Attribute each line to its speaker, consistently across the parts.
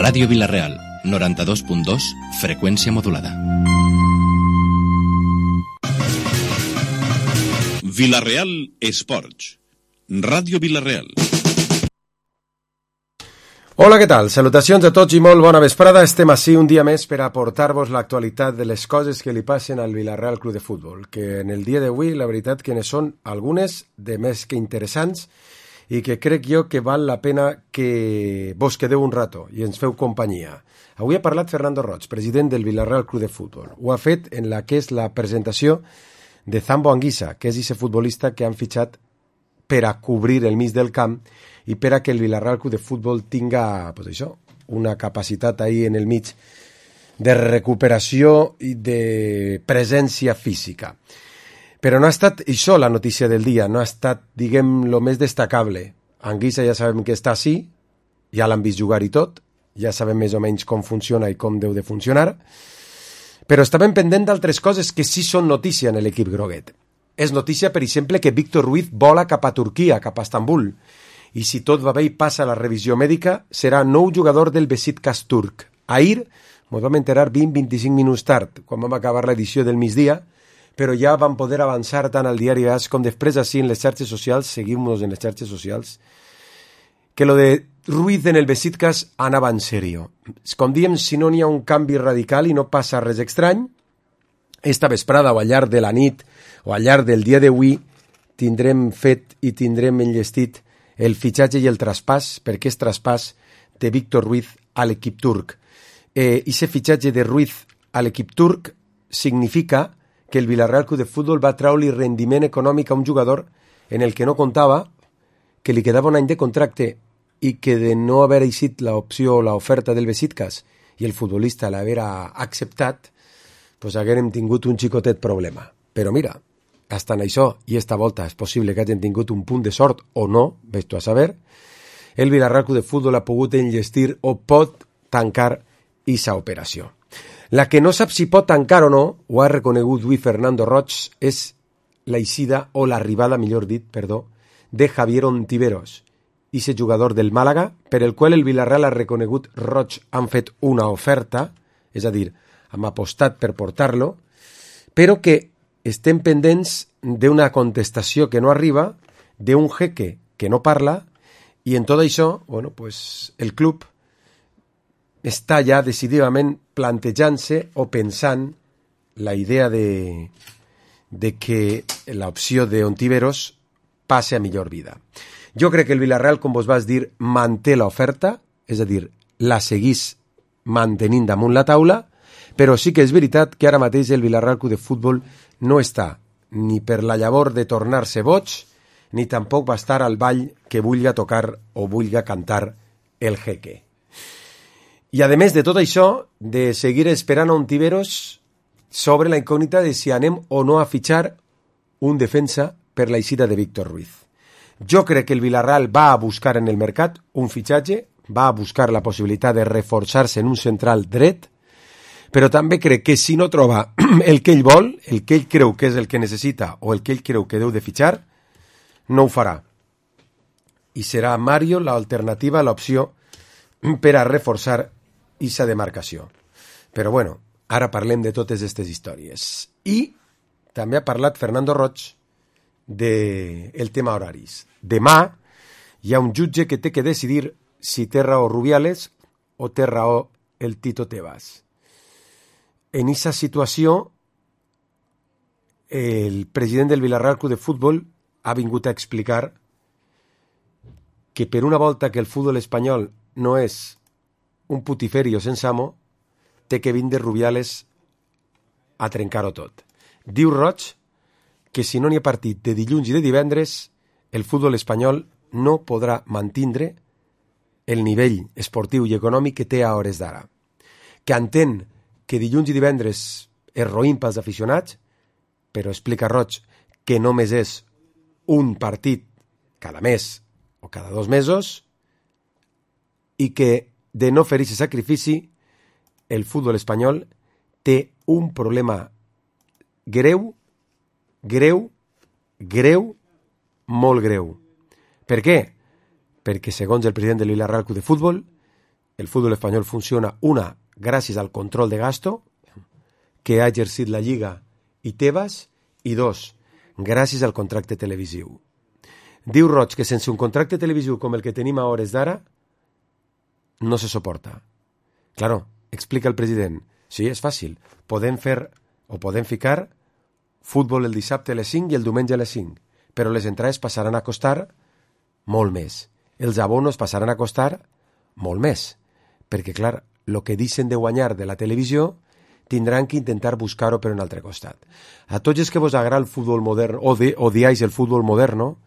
Speaker 1: Ràdio Vila-real, 92.2, freqüència modulada. Vila-real Esports. Ràdio Vila-real.
Speaker 2: Hola, què tal? Salutacions a tots i molt bona vesprada. Estem ací un dia més per aportar-vos l'actualitat de les coses que li passen al Vila-real Club de Futbol, que en el dia d'avui la veritat que ne són algunes de més que interessants i que crec jo que val la pena que vos quedeu un rato i ens feu companyia. Avui ha parlat Fernando Roig, president del Vila-real Club de Futbol. Ho ha fet en la que és la presentació de Zambo Anguissa, que és ese futbolista que han fitxat per a cobrir el mig del camp i per a que el Vila-real Club de Futbol tinga, pues això, una capacitat ahí en el mig de recuperació i de presència física. Però no ha estat això la notícia del dia, no ha estat, diguem, lo més destacable. Anguissa ja sabem que està així, ja l'han vist jugar i tot, ja sabem més o menys com funciona i com deu de funcionar, però estàvem pendent d'altres coses que sí són notícia en l'equip groguet. És notícia, per exemple, que Víctor Ruiz vola cap a Turquia, cap a Estambul, i si tot va bé i passa la revisió mèdica, serà nou jugador del Beşiktaş turc. Ahir ens vam enterar 20-25 minuts tard, quan vam acabar l'edició del migdia, però ja vam poder avançar tant al diari AS com després així en les xarxes socials, seguim-nos en les xarxes socials, que lo de Ruiz en el Beşiktaş anava en sèrio. Com diem, si no n'hi ha un canvi radical i no passa res estrany, esta vesprada o al llarg de la nit o al llarg del dia d'avui tindrem fet i tindrem enllestit el fitxatge i el traspàs, perquè és traspàs de Víctor Ruiz a l'equip turc. Ese fitxatge de Ruiz a l'equip turc significa que el Vila-real Club de Futbol va treure-li rendiment econòmic a un jugador en el que no comptava, que li quedava un any de contracte i que de no haver eixit l'opció o l'oferta del Beşiktaş i el futbolista l'haver acceptat, doncs haguérem tingut un xicotet problema. Però mira, hasta en això, i esta volta és possible que hagin tingut un punt de sort o no, ves tu a saber, el Vila-real Club de Futbol ha pogut enllestir o pot tancar esa operació. La que no sap si pot tancar o no, ho ha reconegut avui Fernando Roig, és l'eixida o l'arribada, millor dit, perdó, de Javier Ontiveros, ese jugador del Màlaga, per el qual el Vila-real ha reconegut Roig han fet una oferta, és a dir, hem apostat per portar-lo, però que estem pendents d'una contestació que no arriba, d'un jeque que no parla, i en tot això, bueno, pues, el club està ja decididament plantejant-se o pensant la idea de que l'opció d'Ontiveros passe a millor vida. Jo crec que el Vila-real, com vos vas dir, manté l'oferta, és a dir, la seguís mantenint damunt la taula, però sí que és veritat que ara mateix el Vila-real Club de Futbol no està ni per la llavor de tornar-se boig, ni tampoc va estar al ball que vulga tocar o vulga cantar el jeque. I a més de tot això, de seguir esperant a Ontiveros, sobre la incògnita de si anem o no a fitxar un defensa per l'eixida de Víctor Ruiz. Jo crec que el Vila-real va a buscar en el mercat un fitxatge, va a buscar la possibilitat de reforçar-se en un central dret, però també crec que si no troba el que ell vol, el que ell creu que és el que necessita o el que ell creu que deu de fitxar, no ho farà. I serà Mario l'alternativa, l'opció per a reforçar aquesta demarcació. Però bueno, ara parlem de totes aquestes històries. I també ha parlat Fernando Roig del tema horaris. Demà hi ha un jutge que té que decidir si té raó Rubiales o té raó el Tito Tebas. En aquesta situació, el president del Vila-real Club de Futbol ha vingut a explicar que per una volta que el futbol espanyol no és un putiferio sense amo, té que vindre Rubiales a trencar-ho tot. Diu Roig que si no n'hi ha partit de dilluns i de divendres, el futbol espanyol no podrà mantindre el nivell esportiu i econòmic que té a hores d'ara. Que entén que dilluns i divendres és roïn pels aficionats, però explica Roig que només és un partit cada mes o cada 2 mesos i que de no fer aquest sacrifici el futbol espanyol té un problema greu, molt greu. Per què? Perquè segons el president del Vila-real Club de Futbol, el fútbol espanyol funciona, una, gràcies al control de gasto que ha exercit la Lliga i Tebas, i dos, gràcies al contracte televisiu. Diu Roig que sense un contracte televisiu com el que tenim a hores d'ara no se soporta. Claro, explica el president. Sí, és fàcil. Podem ficar futbol el dissabte a les 5 i el diumenge a les 5, però les entrades passaran a costar molt més. Els abonos passaran a costar molt més, perquè, clar, el que deixen de guanyar de la televisió tindran que intentar buscar-ho per un altre costat. A tots els que vos agrada el futbol modern o odiais el futbol moderno,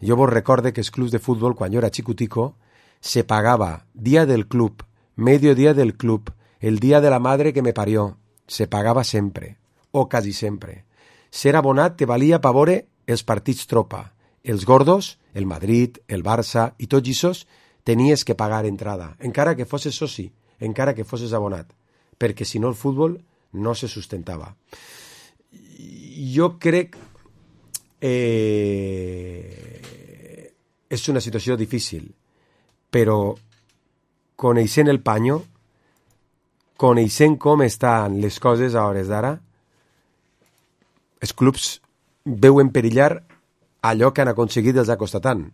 Speaker 2: jo vos recorde que els clubs de futbol, quan jo era xicutico, se pagaba día del club, medio día del club, el día de la madre que me parió. Se pagava sempre, o quasi sempre. Ser abonat te valia pa veure els partits tropa. Els gordos, el Madrid, el Barça i tots aquests, tenies que pagar entrada, encara que fosses soci, encara que fosses abonat, perquè si no el futbol no se sustentava. Jo crec és una situació difícil, però coneixent el panyo, coneixent com estan les coses a hores d'ara, els clubs veuen perillar allò que han aconseguit els ha costat tant.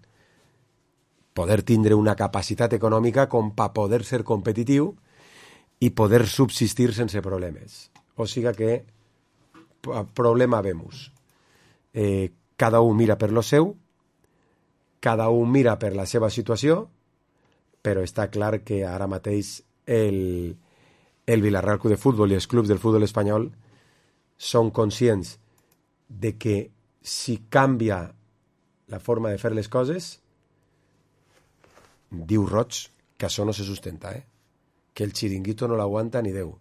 Speaker 2: Poder tindre una capacitat econòmica com per poder ser competitiu i poder subsistir sense problemes. O sigui que problema vemos. Cada un mira per lo seu, cada un mira per la seva situació, però està clar que ara mateix el Villarreal Club de Futbol i els clubs del futbol espanyol són conscients de que si canvia la forma de fer les coses, diu Roig que això no se sustenta, que el xiringuito no l'aguanta ni Déu.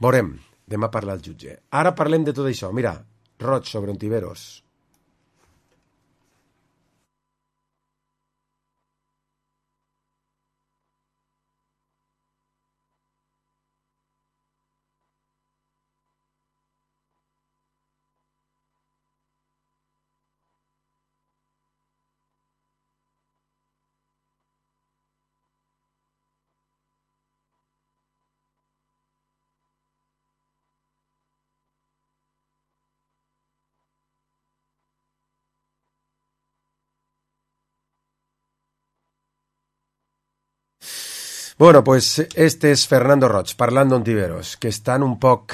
Speaker 2: Veurem, demà parla el jutge. Ara parlem de tot això. Mira, Roig sobre Ontiveros. Bueno, pues este és Fernando Roig, parlant d'Ontiveros, que estan un poc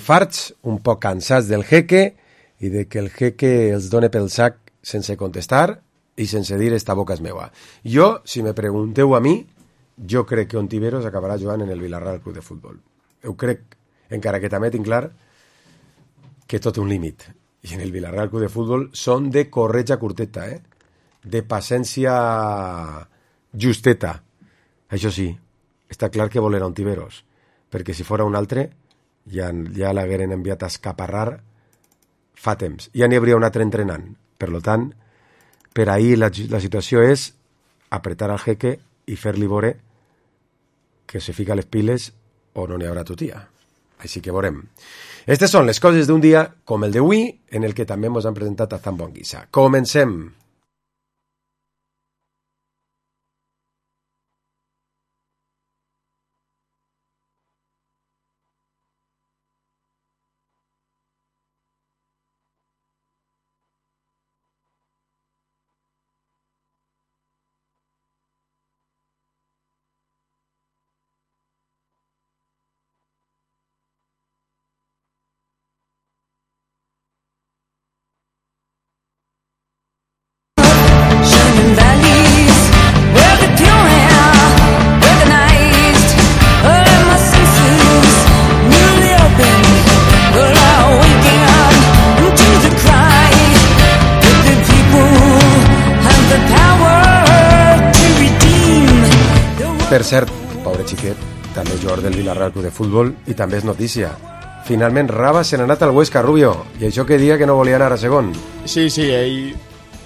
Speaker 2: farts, un poc cansats del jeque, i de que el jeque els done pel sac sense contestar i sense dir esta boca és meua. Jo, si me pregunteu a mi, jo crec que Ontiveros acabarà jugant en el Villarreal Club de Futbol. Ho crec, encara que també tinc clar que tot un límit. I en el Villarreal Club de Futbol són de corretja curteta, de paciència justeta. Això sí, està clar que volerà Ontiveros, perquè si fora un altre ja l'hagueren enviat a escaparrar fa temps. Ja n'hi hauria un altre entrenant. Per tant, per ahir la situació és apretar al jeque i fer-li veure que se fica les piles o no n'hi haurà tutia. Així que veurem. Estes són les coses d'un dia com el d'avui, en el que també ens han presentat a Zambo Anguissa. Comencem. Per cert, pobre xiquet, també jugador del Villarreal Club de Futbol, i també és notícia. Finalment Raba se n'ha anat al Huesca, Rubio, i això que dia que no volia anar a segon.
Speaker 3: Sí, ell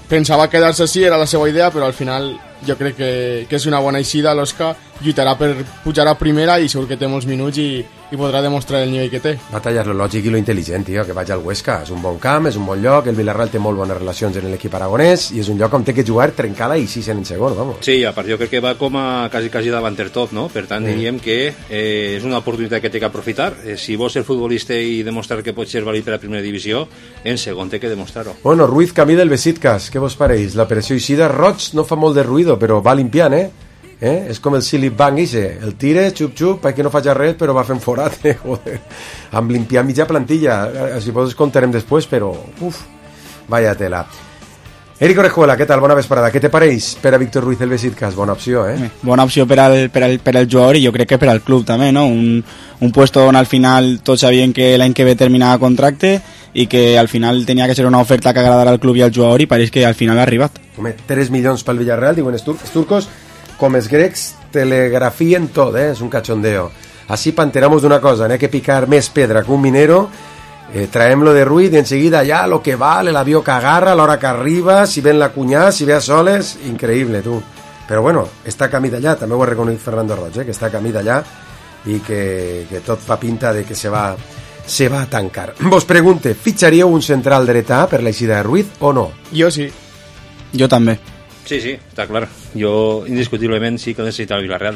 Speaker 3: pensava quedar-se així, era la seva idea, però al final jo crec que és una bona eixida. L'Osca lluitarà per pujar a primera i segur que té molts minuts i i podrà demostrar el nivell que té.
Speaker 2: Batalla és lo lògic i lo intel·ligent, tio, que vagi al Huesca. És un bon camp, és un bon lloc, el Villarreal té molt bones relacions en l'equip aragonès i és un lloc on té que jugar trencada i 6 en segon, vamos.
Speaker 4: Sí, a part jo crec que va com a quasi davanter tot, no? Per tant, diríem que és una oportunitat que té que aprofitar. Si vols ser futbolista i demostrar que pots ser vàlid per a primera divisió, en segon té que demostrar-ho.
Speaker 2: Bueno, Ruiz camí del Besiktas, què vos pareix? L'operació Eixida, Roig no fa molt de ruïdo, però va limpiant, és com el Silip Bank, el tire, xup-xup, perquè no faig res, però va fent forat, joder. Amb limpiar mitja plantilla, si vols contarem després, però, vaya tela. Eric Orejuela, què tal? Bona vesprada. Què te pareix per a Víctor Ruiz el Besiktas? Bona opció,
Speaker 5: Bona opció per al jugador i jo crec que per al club també, no? Un puesto on al final tots sabien que l'any que ve terminava contracte i que al final tenia que ser una oferta que agradara al club i al jugador i pareix que al final ha arribat.
Speaker 2: Home, 3 milions pel Villarreal, diuen els turcos, com els grecs telegrafien tot, és un cachondeo. Así panteramos d'una cosa, n'hi ha que picar més pedra que un minero, traem-lo de Ruiz i enseguida ja lo que vale, l'avió que agarra, l'hora que arriba, si ven la cunyà, si ve a soles, increïble, tu. Però bueno, està camí d'allà, també ho ha reconegut Fernando Roig, que està camí d'allà i que tot fa pinta de que se va a tancar. Vos pregunte, fitxaríeu un central dretà per l'eixida de Ruiz o no?
Speaker 3: Jo sí.
Speaker 5: Jo també.
Speaker 4: Sí, està clar. Jo, indiscutiblement, sí que necessita el Villarreal.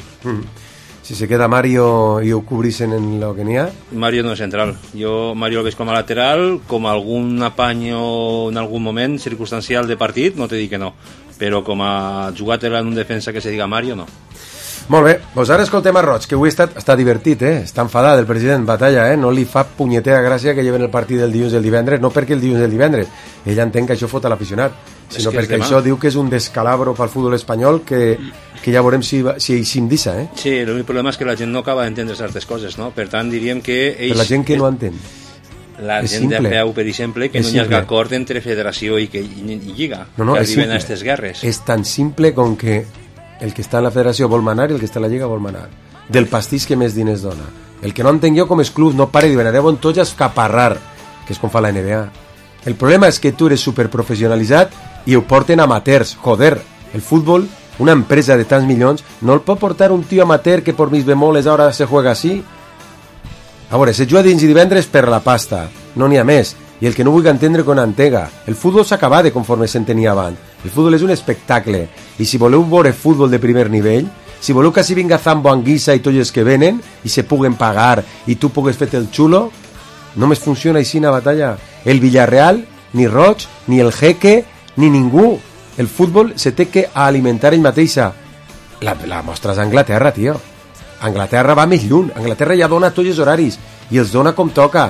Speaker 2: Si se queda Mario i ho cobrixen en lo que n'hi ha?
Speaker 4: Mario no és central. Jo Mario el veig com a lateral, com algun apanyo en algun moment circumstancial de partit, no te dic que no. Però com a jugar-te en un defensa que se diga Mario, no.
Speaker 2: Molt bé, doncs ara escoltem a Roig, que avui està divertit, està enfadat el president Batalla, no li fa punyetera gràcia que lleven el partit del dilluns i el divendres, no perquè el dilluns i el divendres, ell entén que això fot a l'aficionat, sinó perquè això diu que és un descalabro pel futbol espanyol que ja veurem si eixim d'issa,
Speaker 4: Sí, l'únic problema és que la gent no acaba d'entendre certes coses, no? Per tant, diríem que ells...
Speaker 2: Per la gent que no entén.
Speaker 4: La gent de peu, per exemple, que no hi ha acord entre federació i lliga, que arriben a aquestes guerres.
Speaker 2: És tan simple com que el que està en la federació vol manar i el que està en la lliga vol manar. Del pastís que més diners dona. El que no entenc jo com és club no pare de venareu en tots a escaparrar, que és com fa la NBA. El problema és que tu eres superprofessionalitzat i ho porten amateurs. Joder, el futbol, una empresa de tants milions, no el pot portar un tio amateur que por mis bemoles ara se juega así. A veure, se juga dins i divendres per la pasta, no n'hi ha més. I el que no vulgui entendre con antega. El futbol s'acaba de conforme s'entenia abans. El futbol és un espectacle. I si voleu veure futbol de primer nivell, si voleu que s'hi vinga Zambo, Anguissa i tots els que venen, i se puguen pagar, i tu pugues fer el xulo, només funciona així una batalla. El Villarreal, ni Roig, ni el Jeque, ni ningú. El futbol se té que alimentar ell mateixa. La mostra és Anglaterra, tio. Anglaterra va més lluny. Anglaterra ja dona tots els horaris, i els dona com toca.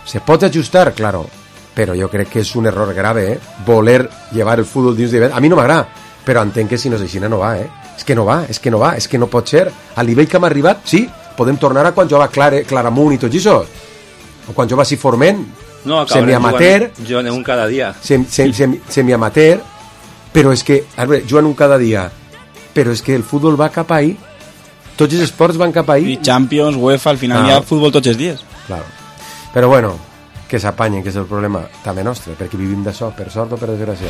Speaker 2: Se pot ajustar, claro, però jo crec que és un error grave, voler llevar el futbol dins de... A mi no m'agrada, però entenc que si no és així no va, És que no va, és que no pot ser. Al nivell que hem arribat, sí, podem tornar a quan jugava Claramunt i tot això, o quan jugava Forment, semiamateur,
Speaker 4: jugant un cada dia.
Speaker 2: Semiamateur, però és que, a veure, jugant un cada dia, però és que el futbol va cap ahí, tots els esports van cap ahí.
Speaker 5: I Champions, UEFA, al final hi ha futbol tots els dies.
Speaker 2: Claro. Però bueno, que s'apanyen, que és el problema també nostre, perquè vivim d'això, per sort o per desgràcia.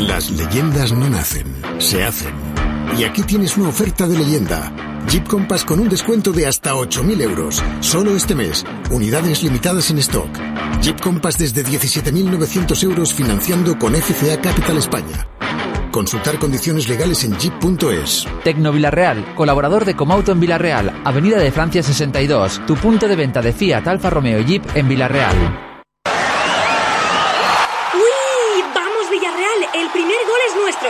Speaker 6: Las leyendas no nacen, se hacen. Y aquí tienes una oferta de leyenda. Jeep Compass con un descuento de hasta 8.000 euros. Solo este mes. Unidades limitadas en stock. Jeep Compass desde 17.900 euros financiando con FCA Capital España. Consultar condiciones legales en jeep.es.
Speaker 7: Tecno Villarreal, colaborador de Comauto en Villarreal, Avenida de Francia 62, tu punto de venta de Fiat, Alfa Romeo y Jeep en Villarreal.
Speaker 8: ¡Uy! ¡Vamos Villarreal! ¡El primer gol es nuestro!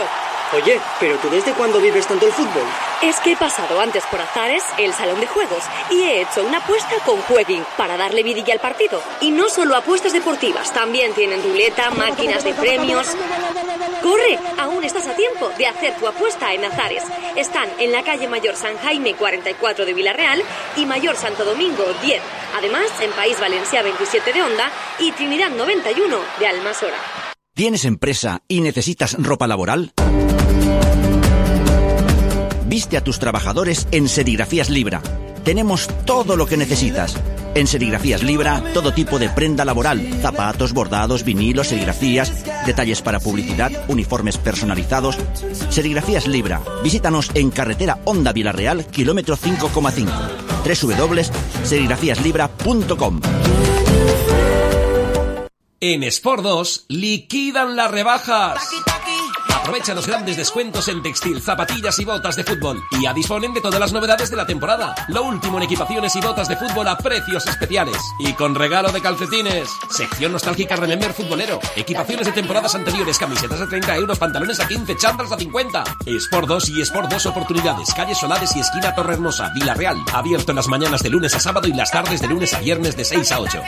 Speaker 9: Oye, ¿pero tú desde cuándo vives tanto el fútbol?
Speaker 8: Es que he pasado antes por Azares, el salón de juegos, y he hecho una apuesta con Jueguin para darle vidilla al partido. Y no solo apuestas deportivas, también tienen ruleta, máquinas de premios. ¡Corre! Aún estás a tiempo de hacer tu apuesta en Azares. Están en la calle Mayor San Jaime 44 de Villarreal y Mayor Santo Domingo 10. Además, en País Valencià 27 de Onda y Trinidad 91 de Almasora.
Speaker 10: ¿Tienes empresa y necesitas ropa laboral? Viste a tus trabajadores en Serigrafías Libra. Tenemos todo lo que necesitas. En Serigrafías Libra, todo tipo de prenda laboral, zapatos, bordados, vinilos, serigrafías, detalles para publicidad, uniformes personalizados. Serigrafías Libra. Visítanos en carretera Honda Vilarreal, kilómetro 5,5. www.serigrafíaslibra.com.
Speaker 11: En Sport 2 liquidan las rebajas. Aprovecha los grandes descuentos en textil, zapatillas y botas de fútbol. Y ya disponen de todas las novedades de la temporada. Lo último en equipaciones y botas de fútbol a precios especiales. Y con regalo de calcetines. Sección nostálgica Remember futbolero. Equipaciones de temporadas anteriores, camisetas a 30 euros, pantalones a 15, chándals a 50. Sport 2 y Sport 2 Oportunidades. Calle Solares y esquina Torrehermosa, Vilarreal. Abierto en las mañanas de lunes a sábado y las tardes de lunes a viernes de 6 a 8.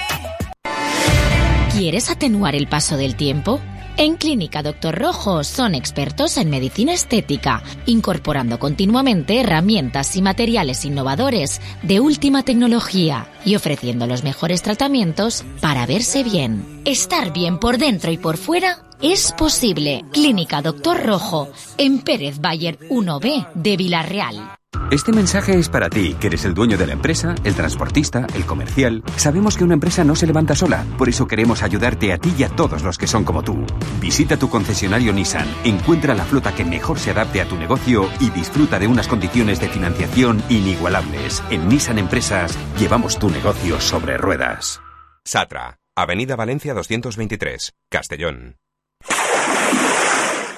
Speaker 12: ¿Quieres atenuar el paso del tiempo? En Clínica Dr. Rojo son expertos en medicina estética, incorporando continuamente herramientas y materiales innovadores de última tecnología y ofreciendo los mejores tratamientos para verse bien. Estar bien por dentro y por fuera es posible. Clínica Dr. Rojo, en Pérez Bayer 1B de Vilarreal.
Speaker 13: Este mensaje es para ti, que eres el dueño de la empresa, el transportista, el comercial. Sabemos que una empresa no se levanta sola, por eso queremos ayudarte a ti y a todos los que son como tú. Visita tu concesionario Nissan, encuentra la flota que mejor se adapte a tu negocio y disfruta de unas condiciones de financiación inigualables. En Nissan Empresas llevamos tu negocio sobre ruedas.
Speaker 14: Satra, Avenida Valencia 223, Castellón.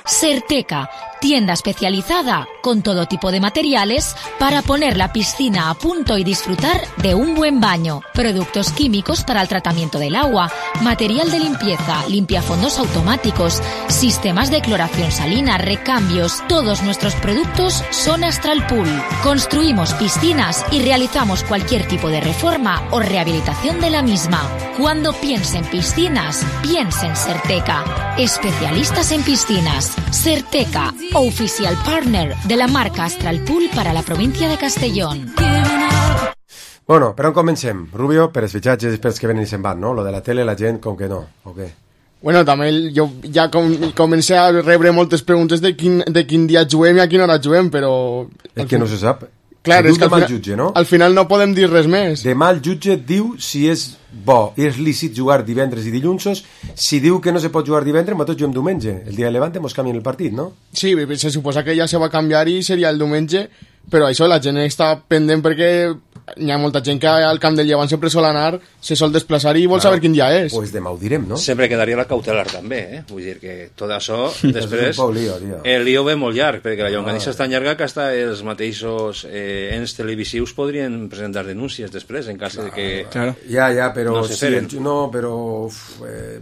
Speaker 12: Serteca, tienda especializada con todo tipo de materiales para poner la piscina a punto y disfrutar de un buen baño. Productos químicos para el tratamiento del agua, material de limpieza, limpiafondos automáticos, sistemas de cloración salina, recambios. Todos nuestros productos son Astral Pool. Construimos piscinas y realizamos cualquier tipo de reforma o rehabilitación de la misma. Cuando piense en piscinas, piense en Serteca. Especialistas en piscinas. Serteca, oficial partner de la marca Astral Pool para la provincia de Castellón.
Speaker 2: Bueno, per on comencem? Rubio, per els fitxatges i pels que venen i se'n van, no? Lo de la tele, la gent, com que no, o què?
Speaker 3: Bueno, també jo ja comencé a rebre moltes preguntes de quin dia juguem i a quina hora juguem, però...
Speaker 2: És que no se sap.
Speaker 3: Clar, és que
Speaker 2: demà el jutge, no?
Speaker 3: Al final no podem dir res més.
Speaker 2: Demà el jutge diu si és bo i és lícit jugar divendres i dilluns. Si diu que no se pot jugar divendres, nosaltres juguem diumenge. El dia de Levante mos canvien el partit, no?
Speaker 3: Sí, se suposa que ja se va canviar i seria el diumenge, però això la gent està pendent perquè hi ha molta gent que al camp del Llevant sempre sol anar, se sol desplaçar i vol saber quin dia és.
Speaker 2: Pues demà ho direm, no?
Speaker 4: Sempre quedaria la cautelar també, Vull dir que tot això, després, el lío ve molt llarg, perquè la llonganissa és tan llarga que hasta els mateixos ens televisius podrien presentar denúncies després, en cas de que
Speaker 2: ja, però
Speaker 4: no se feren.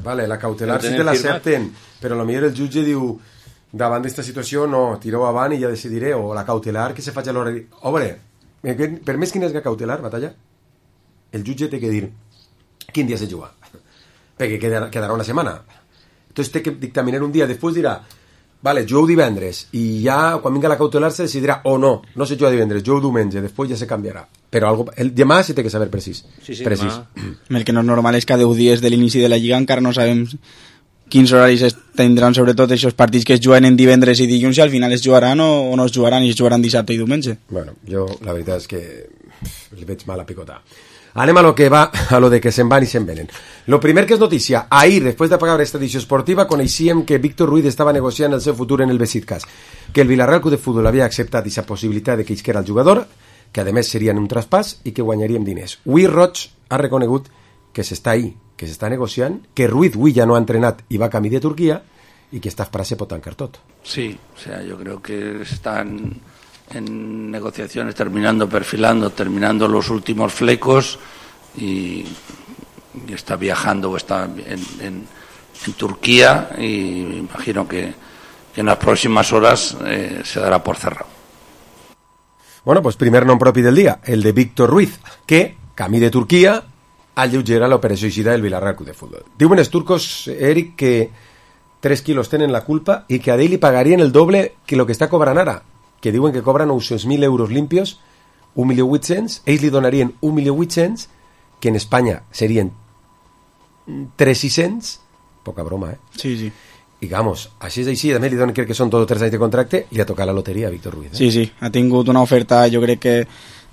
Speaker 2: Vale, la cautelar sí te l'accepten, però potser el jutge diu davant d'esta situació no, tireu avant i ja decidiré, o la cautelar que se faci a l'hora de... Obre, per més quina és la cautelar, Batalla, el jutge té que dir quin dia se juga, perquè quedarà una setmana. Entonces té que dictaminar un dia, després dirà vale, jugueu divendres, i ja quan vinga la cautelar se decidirà, o no se juga divendres, jugueu diumenge, després ja se canviarà, però el demà sí té que saber precís.
Speaker 5: Demà. El que no és normal és que a 10 dies de l'inici de la Lliga encara no sabem quins horaris tindran sobretot aquests partits que es juguen en divendres i dilluns, i al final es jugaran o no es jugaran, i es jugaran dissabte i diumenge.
Speaker 2: Bueno, jo la veritat és que li veig mal a picotar. Anem a lo que va, a lo de que se'n van i se'n venen. Lo primer que és notícia, ahir, després de pagar esta edició esportiva, coneixíem que Víctor Ruiz estava negociant el seu futur en el Besiktas, que el Villarreal Club de Futbol havia acceptat aquesta possibilitat de que isquera el jugador, que a més seria en un traspàs i que guanyaríem diners. Ui Roig ha reconegut que s'està ahí, que s'està negociant, que Ruiz avui ya no ha entrenat y va camí de Turquía y que esta frase pot tancar tot.
Speaker 15: Sí, o sea, yo creo que están en negociaciones terminando los últimos flecos y está viajando o está en Turquía, y imagino que en las próximas horas se dará por cerrado.
Speaker 2: Bueno, pues primer nom propi del dia, el de Víctor Ruiz, que, camí de Turquía, alleugera l'operació eixida del Villarreal Club de Futbol. Diuen els turcos, Eric, que 3 quilos tenen la culpa i que a ell li pagarien el doble que el que està cobrant ara, que diuen que cobra 900.000 euros limpios, 1.800.000, ells li donarien 1.800.000, que en Espanya serien 3.600.000, poca broma,
Speaker 5: Sí.
Speaker 2: I vamos, així és així, també li donen, crec que són tots 3 anys de contracte, i li ha tocat la loteria a Víctor Ruiz.
Speaker 5: Sí, ha tingut una oferta, jo crec que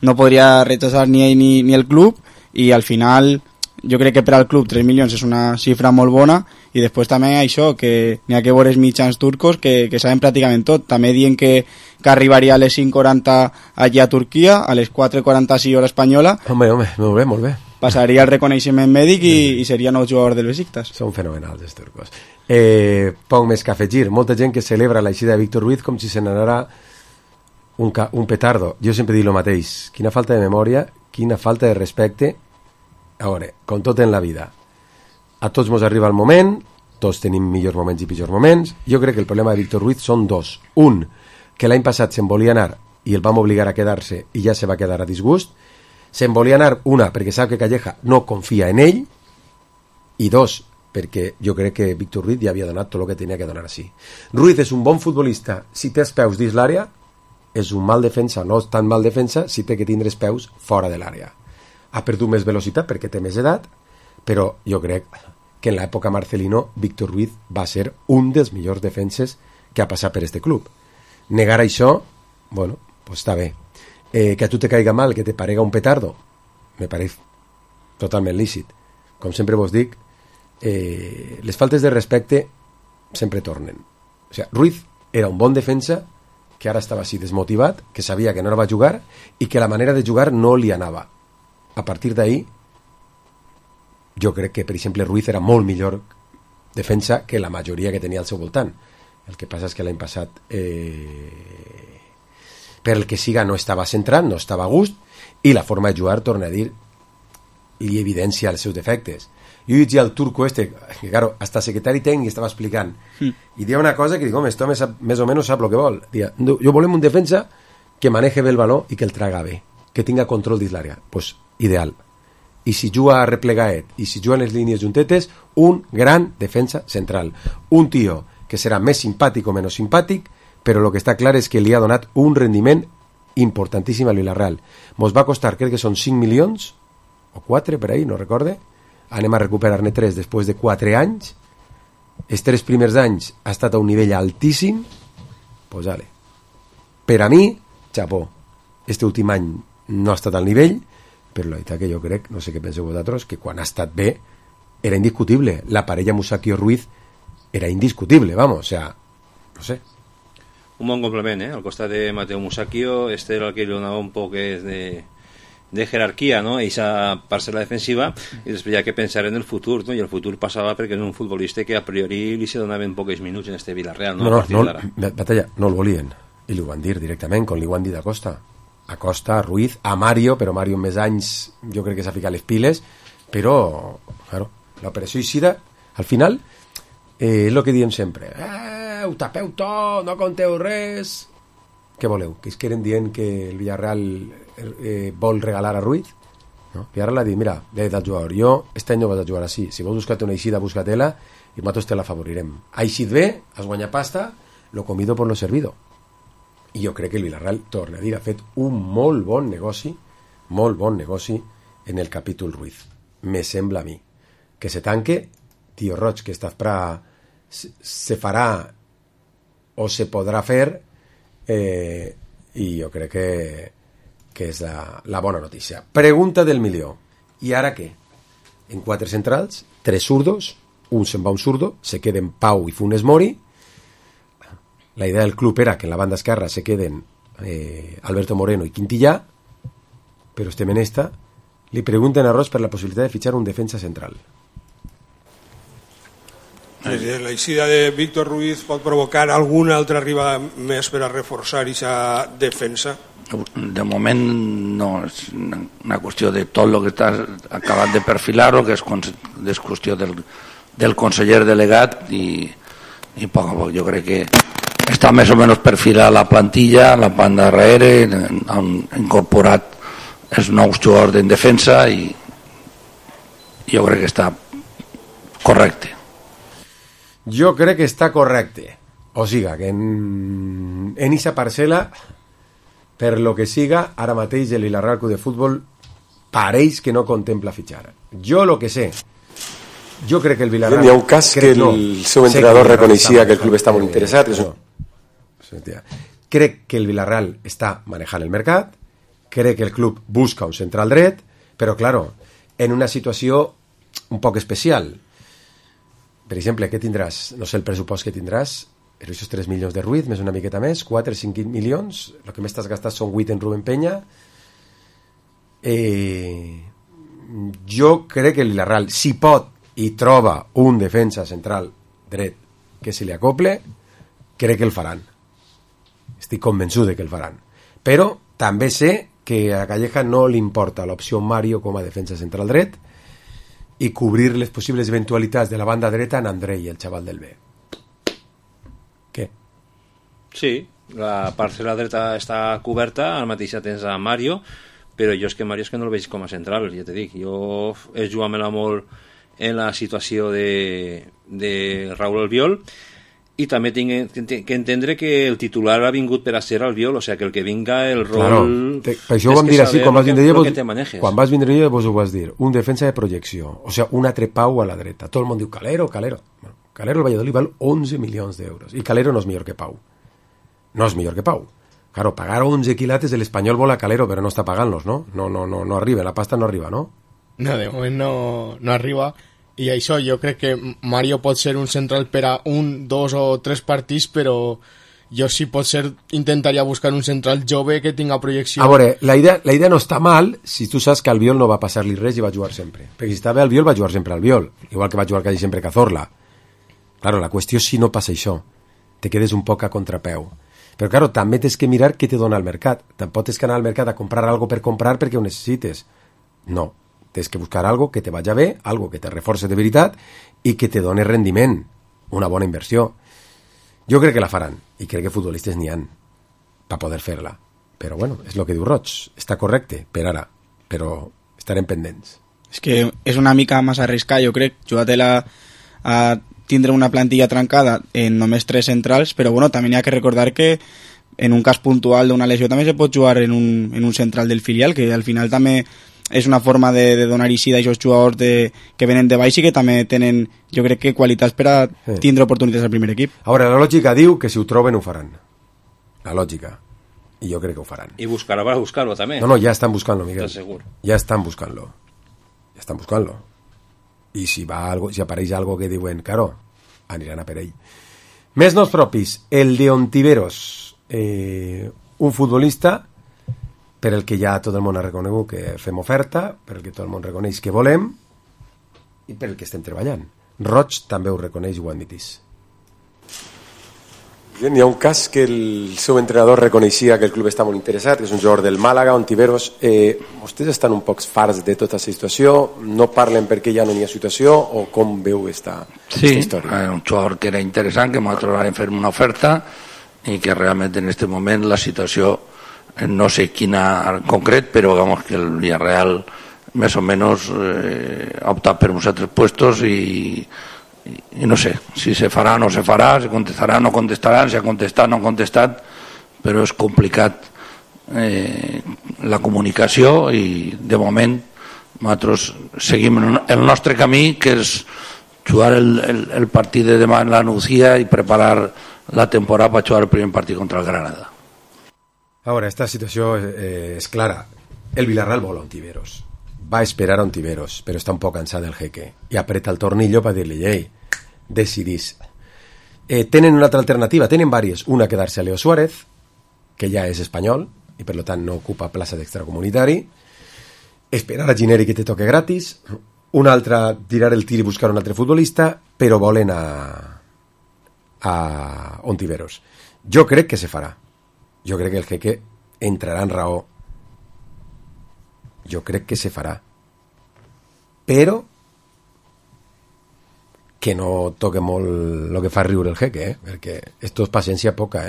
Speaker 5: no podria rechazar ni ell ni el club, i al final jo crec que per al club 3 milions és una xifra molt bona, i després també això, que n'hi ha que veure els mitjans turcos que saben pràcticament tot. També diuen que arribaria a les 5:40 allà a Turquia, a les 4:46 hora espanyola.
Speaker 2: Home, molt bé.
Speaker 5: Passaria el reconeixement mèdic i seria nou jugador del Besiktas.
Speaker 2: Són fenomenals els turcos. Poc més que afegir. Molta gent que celebra l'eixida de Víctor Ruiz com si se n'anara un petardo. Jo sempre dic el mateix. Quina falta de memòria, quina falta de respecte. A veure, com tot en la vida, a tots ens arriba el moment, tots tenim millors moments i pitjors moments. Jo crec que el problema de Víctor Ruiz són dos. Un, que l'any passat se'n volia anar i el vam obligar a quedar-se i ja se va quedar a disgust. Se'n volia anar, una, perquè sap que Calleja no confia en ell, i dos, perquè jo crec que Víctor Ruiz ja havia donat tot el que tenia que donar així. Ruiz és un bon futbolista si té els peus dins l'àrea, és un mal defensa, no és tan mal defensa si té que tindre els peus fora de l'àrea. Ha perdut més velocitat perquè té més edat, però jo crec que en l'època Marcelino Víctor Ruiz va ser un dels millors defenses que ha passat per este club. Negar això, bueno, pues està bé. Que a tu te caiga mal, que te parega un petardo, me pareix totalment lícit. Com sempre vos dic, les faltes de respecte sempre tornen. O sigui, Ruiz era un bon defensa que ara estava així desmotivat, que sabia que no va jugar i que la manera de jugar no li anava. A partir d'ahí, jo crec que, per exemple, Ruiz era molt millor defensa que la majoria que tenia al seu voltant. El que passa és que l'any passat, per el que siga, no estava centrat, no estava a gust, i la forma de jugar, torna a dir, li evidencia els seus defectes. Jo llegia al turco que, claro, hasta secretari tècnic estava explicant, i dia una cosa que dic, home, esto més o menos sap el que vol. Dia, jo volem un defensa que maneje bé el baló i que el traga bé, que tinga control dins l'àrea. Pues ideal. I si juga a replegaet i si juga en les línies juntetes, un gran defensa central. Un tio que serà més simpàtic o menys simpàtic, però el que està clar és que li ha donat un rendiment importantíssim al Villarreal. Mos va costar, crec que són 5 milions, o 4 per ahí, no recorde. Anem a recuperar-ne 3 després de 4 anys. Els 3 primers anys ha estat a un nivell altíssim. Pues vale. Per a mi, xapó. Este últim any no ha estat al nivell, però la veritat que jo crec, no sé què penseu vosaltres, que quan ha estat bé era indiscutible. La parella Musacchio-Ruiz era indiscutible, vamos, o sea, no sé.
Speaker 4: Un bon complement, al costat de Mateo Musacchio, este era el que li donava un poc de jerarquia, no? Eixa parcel·la defensiva, i després hi ha que pensar en el futur, no? I el futur passava perquè és un futbolista que a priori li se donaven pocs minuts en este Villarreal, no?
Speaker 2: Batalla, no el volien, i li ho van dir directament, com li ho han dit a Costa, a Ruiz, a Mario, però Mario amb més anys jo crec que s'ha ficat les piles, però, claro, l'operació Ixida, al final, és el que diem sempre, ho tapeu tot, no conteu res. Què voleu? Que es queden dient que el Villarreal vol regalar a Ruiz? No? Villarreal ha dit, mira, he dit al jugador, jo este any no vas a jugar així, si vols buscar una eixida, busca-te-la i nosaltres te la favorirem. Ha eixit bé, has guanyat pasta, lo comido por lo servido. I jo crec que el Villarreal, torna a dir, ha fet un molt bon negoci en el capítol Ruiz. Me sembla a mi. Que se tanque, tio Roig, que esta fra se farà o se podrà fer, i jo crec que és la bona notícia. Pregunta del milió. I ara què? En 4 centrals, 3 zurdos, un se'n va un zurdo, se queden Pau i Funes Mori. La idea del club era que en la banda esquerra se queden Alberto Moreno i Quintillà, però estem en esta. Li pregunten a Roig per la possibilitat de fitxar un defensa central.
Speaker 16: La eixida de Víctor Ruiz pot provocar alguna altra arribada més per a reforçar aquesta defensa?
Speaker 15: De moment no, és una qüestió de tot el que estàs acabat de perfilar-ho, que és qüestió del conseller delegat i a poc jo crec que està més o menys perfilat la plantilla, la banda darrere, han incorporat els nous jugadors en defensa i jo crec que està correcte.
Speaker 2: Jo crec que està correcte. O siga, que en esa parcel·la, per lo que siga, ara mateix el Villarreal Club de Futbol pareix que no contempla fitxar. Jo lo que sé, jo crec que el Villarreal...
Speaker 17: Hi ha un cas que el seu entrenador reconeixia que el club està molt interessat.
Speaker 2: Crec que el Villarreal està manejant el mercat, crec que el club busca un central dret, però, claro, en una situació un poc especial. Per exemple, què tindràs? No sé el pressupost que tindràs, però aquests 3 milions de Ruiz, més una miqueta més, 4 o 5 milions, el que més t'has gastat són 8 en Rubén Peña. Jo crec que el Villarreal, si pot i troba un defensa central dret que se li acople, crec que el faran. Estic convençut de que el faran. Però també sé que a Calleja no li importa l'opció Mario com a defensa central dret i cobrir les possibles eventualitats de la banda dreta en Andrei, el xaval del B. Què?
Speaker 4: Sí, la part de la dreta està coberta, al mateix temps a Mario, però jo és que Mario és que no el veig com a central, ja te dic. Jo he jugat molt en la situació de Raúl Albiol, i també tinc que entendre que el titular ha vingut per a ser Albiol, o sigui que el que vinga el rol...
Speaker 2: Claro, per això ho vam dir així, quan vas vindre jo vos ho vas dir, un defensa de projecció, o sigui, un altre Pau a la dreta. Tot el món diu Calero. Bueno, Calero al Valladolid val 11 milions d'euros, i Calero no és millor que Pau. No és millor que Pau. Claro, pagar 11 quilates, el Espanyol vol a Calero, però no està pagant-los, no? No arriba, la pasta no arriba, no?
Speaker 3: No, de moment no arriba, i això jo crec que Mario pot ser un central per a 1, 2 o 3 partits, però jo sí pot ser, intentaria buscar un central jove que tinga projecció.
Speaker 2: A veure, la idea no està mal si tu saps que Albiol no va passar-li res i va jugar sempre, perquè si estava Albiol va jugar sempre Albiol, igual que va jugar quasi sempre Cazorla. Claro, la qüestió és si no passa això, te quedes un poc a contrapeu. Però claro, també tens que mirar què te dona el mercat. Tampoc tens que anar al mercat a comprar algo per comprar perquè ho necessites. No, tens que buscar algo que te vagi bé, algo que te reforce de veritat i que te doni rendiment, una bona inversió. Jo crec que la faran, i crec que futbolistes n'hi han per poder fer-la. Però bueno, és el que diu Roig, està correcte per ara, però estarem pendents.
Speaker 5: És que és una mica massa arriscar, jo crec, jugar-te-la a tindre una plantilla trencada en només 3 centrals, però bueno, també hi ha que recordar que en un cas puntual d'una lesió també se pot jugar en un central del filial, que al final també és una forma de donar eixida a aquests jugadors que venen de baix i que també tenen, jo crec que qualitats per a tindre oportunitats al primer equip.
Speaker 2: Ara, la lògica diu que si ho troben ho faran. La lògica. I jo crec que ho faran.
Speaker 4: I buscar-ho també.
Speaker 2: No, ja estan buscant-lo, Miguel.
Speaker 4: Segur.
Speaker 2: Ja estan buscant-lo. I si apareix algo que diuen, claro, aniran a per ell. Més noms propis, el de Ontiveros, un futbolista per el que ja tot el món ha reconegut que fem oferta, per el que tot el món reconeix que volem i per el que estem treballant. Roig també ho reconeix i ho admitís.
Speaker 17: Bien, hi ha un cas que el seu entrenador reconeixia que el club està molt interessat, que és un jugador del Màlaga, Ontiveros. Vostès estan un poc farts de tota aquesta situació? No parlen perquè ja no hi ha situació o com veu esta història?
Speaker 15: Sí, un jugador que era interessant, que nosaltres vam fer una oferta i que realment en aquest moment la situació, no sé quina en concret, però digamos que el Villarreal més o menys ha optat per uns altres puestos i no sé si se farà o no se farà, se contestarà o no contestaran, si ha contestat o no ha contestat, però és complicat la comunicació i de moment nosaltres seguim el nostre camí, que és jugar el partit de demà en la Nucía i preparar la temporada per jugar el primer partit contra el Granada.
Speaker 2: Ara, esta situació és clara. El Villarreal vol Ontiveros. Va esperar a Ontiveros, però està un poc cansat del jeque i apreta el tornillo per dir-li, ei, decidís. Tenen una altra alternativa, tenen diverses. Una, quedar-se a Leo Suárez, que ja és espanyol i per tant no ocupa plaça d'extracomunitari. Esperar a Gineri que te toque gratis. Una altra, tirar el tir i buscar un altre futbolista, però volen a Ontiveros. Jo crec que se farà. Jo crec que el jeque entrarà en raó. Jo crec que se farà. Però que no toque molt el que fa riure el jeque, perquè esto és paciència poca,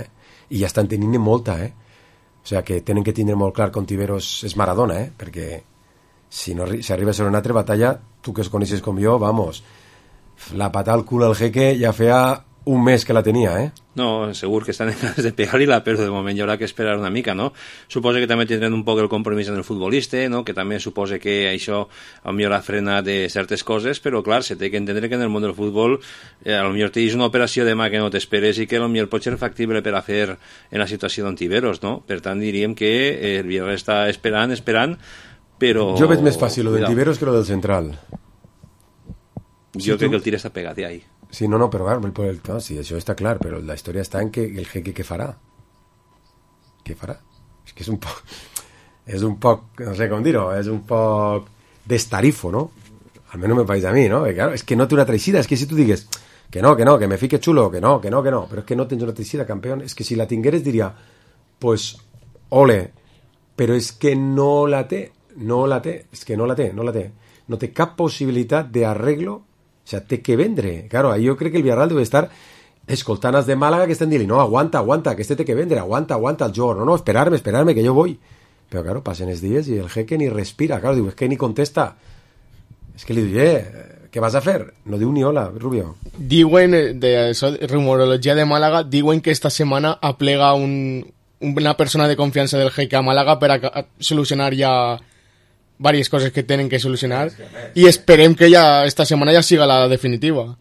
Speaker 2: i ja estan tenint molta, o sigui que tenen que tindre molt clar que Ontiveros és Maradona, perquè si arriba a ser una altra batalla, tu que es coneixes com jo, vamos, la patada al cul al jeque ja feia un mes que la tenia,
Speaker 4: No, segur que estan en ganes de pegar-li-la, però de moment hi haurà que esperar una mica, no? Suposa que també tindran un poc el compromís en el futbolista, no? Que també suposa que això potser ha frenat de certes coses, però clar, se té que entendre que en el món del futbol potser tens una operació demà que no t'esperes i que potser pot ser factible per a fer en la situació d'Ontiveros, no? Per tant, diríem que el Villarreal està esperant, però...
Speaker 2: Jo veig més fàcil lo del Tiberos que lo del central.
Speaker 4: Jo crec que el tir està pegat ahí.
Speaker 2: Sí, no, però no, sí, això està clar, però la història està en que el Jeque què farà? Què farà? És que és un poc, no sé com dir-ho, és un poc destarifo, ¿no? Almenys me pareix a mi, ¿no? Claro, és que no té una traïcida, és que si tu digues que no, que me fique xulo, que no, però és que no tens una traïcida, campeón, és que si la tingueres diria, pues, ole, però és que no la té, és que no la té, no té cap possibilitat d'arreglo. O sea, té que vendre. Claro, jo crec que el Villarreal deu estar escoltant els de Màlaga que estan dient, no, aguanta, que este té que vendre, aguanta el jugador, no, esperarme, que jo voy. Però, claro, passen els dies i el Jeque ni respira, claro, diu, és que ni contesta. És que li diu, què vas a fer? No diu ni hola, Rubio.
Speaker 3: Diuen, de rumorología de Málaga, diuen que esta semana aplega una persona de confiança del Jeque a Málaga per a solucionar ja varias cosas que tienen que solucionar y esperem que ya esta semana ya siga la definitiva.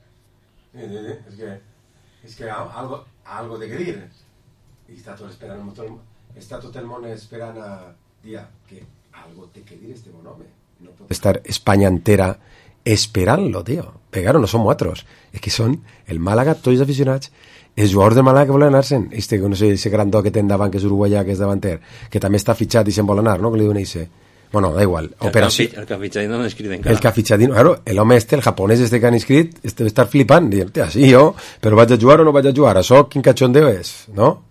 Speaker 2: Es que algo de que dir y está todo esperando, está todo el mundo esperando a día que algo de que dir este bon home. No puede estar España entera esperant-lo, tío. Pero no som otros, es que són el Málaga, tots els aficionats, els jugadors del Málaga que volen anar-se'n, no sé, ese grandó que té endavant, que és uruguaià, que és davanter, que també està fitxat i se'n vol anar, no? Que li diuen ese. Bueno, da igual.
Speaker 4: El que ha fitxat no l'han inscrit encara.
Speaker 2: El que ha fitxat, claro, l'home el japonès que han inscrit, deu estar flipant, dient, sí, jo, però vaig a jugar o no vaig a jugar? Això quin cachondeo és, no?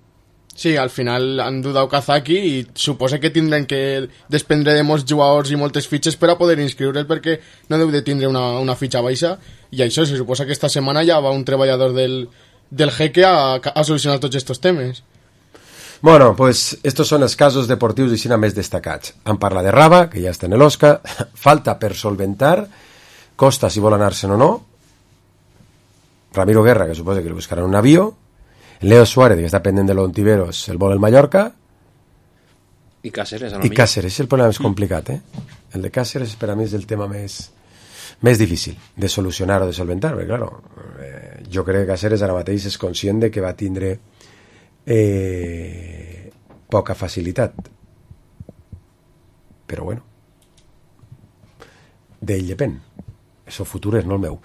Speaker 3: Sí, al final han dudat Kazaki i suposa que tindran que desprendre de molts jugadors i moltes fitxes per a poder inscriure'l, perquè no deu de tindre una fitxa baixa, i això se suposa que esta setmana ja va un treballador del Jeque a solucionar tots estos temes.
Speaker 2: Bueno, pues estos son els casos deportius i així més destacats. Han parlat de Raba, que ja està en l'Osca, falta per solventar, Costa si vol anar-se'n o no, Ramiro Guerra, que suposa que li buscaran un avió, Leo Suárez, que està pendent de l'Ontiveros, el vol el Mallorca,
Speaker 4: i Cáceres,
Speaker 2: i Cáceres, és el problema més complicat, El de Cáceres per a mi és el tema més difícil de solucionar o de solventar, perquè claro, jo crec que Cáceres ara mateix és conscient de que va tindre poca facilitat, però bueno, d'ell depèn, el futur és no el meu.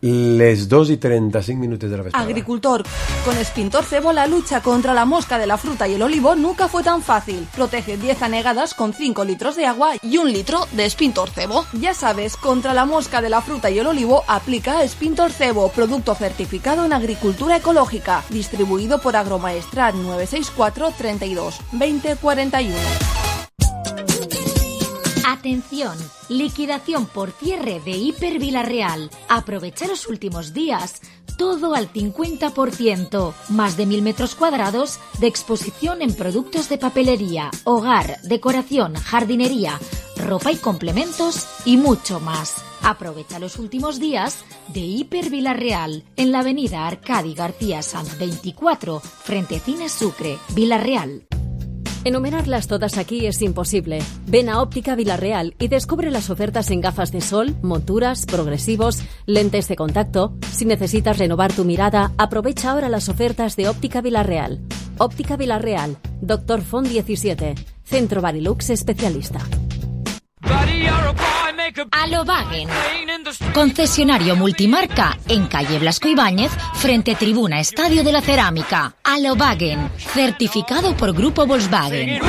Speaker 2: Les 2:35 minutos de la vesprada.
Speaker 18: Agricultor, con Spintor Cebo la lucha contra la mosca de la fruta y el olivo nunca fue tan fácil. Protege 10 anegadas con 5 litros de agua y 1 litro de Spintor Cebo. Ya sabes, contra la mosca de la fruta y el olivo aplica Spintor Cebo, producto certificado en agricultura ecológica, distribuido por Agromaestrat 964 32 20 41.
Speaker 12: Atención, liquidación por cierre de Hiper Villarreal. Aprovecha los últimos días, todo al 50%, más de 1000 metros cuadrados de exposición en productos de papelería, hogar, decoración, jardinería, ropa y complementos y mucho más. Aprovecha los últimos días de Hiper Villarreal en la avenida Arcadi García Sanz 24, frente Cine Sucre, Villarreal.
Speaker 19: Enumerarlas todas aquí es imposible. Ven a Óptica Villarreal y descubre las ofertas en gafas de sol, monturas, progresivos, lentes de contacto. Si necesitas renovar tu mirada, aprovecha ahora las ofertas de Óptica Villarreal. Óptica Villarreal, Dr. Font 17, Centro Barilux especialista.
Speaker 12: Alobagen, concesionario multimarca en calle Blasco Ibáñez, frente Tribuna Estadio de la Cerámica. Alobagen, certificado por Grupo Volkswagen.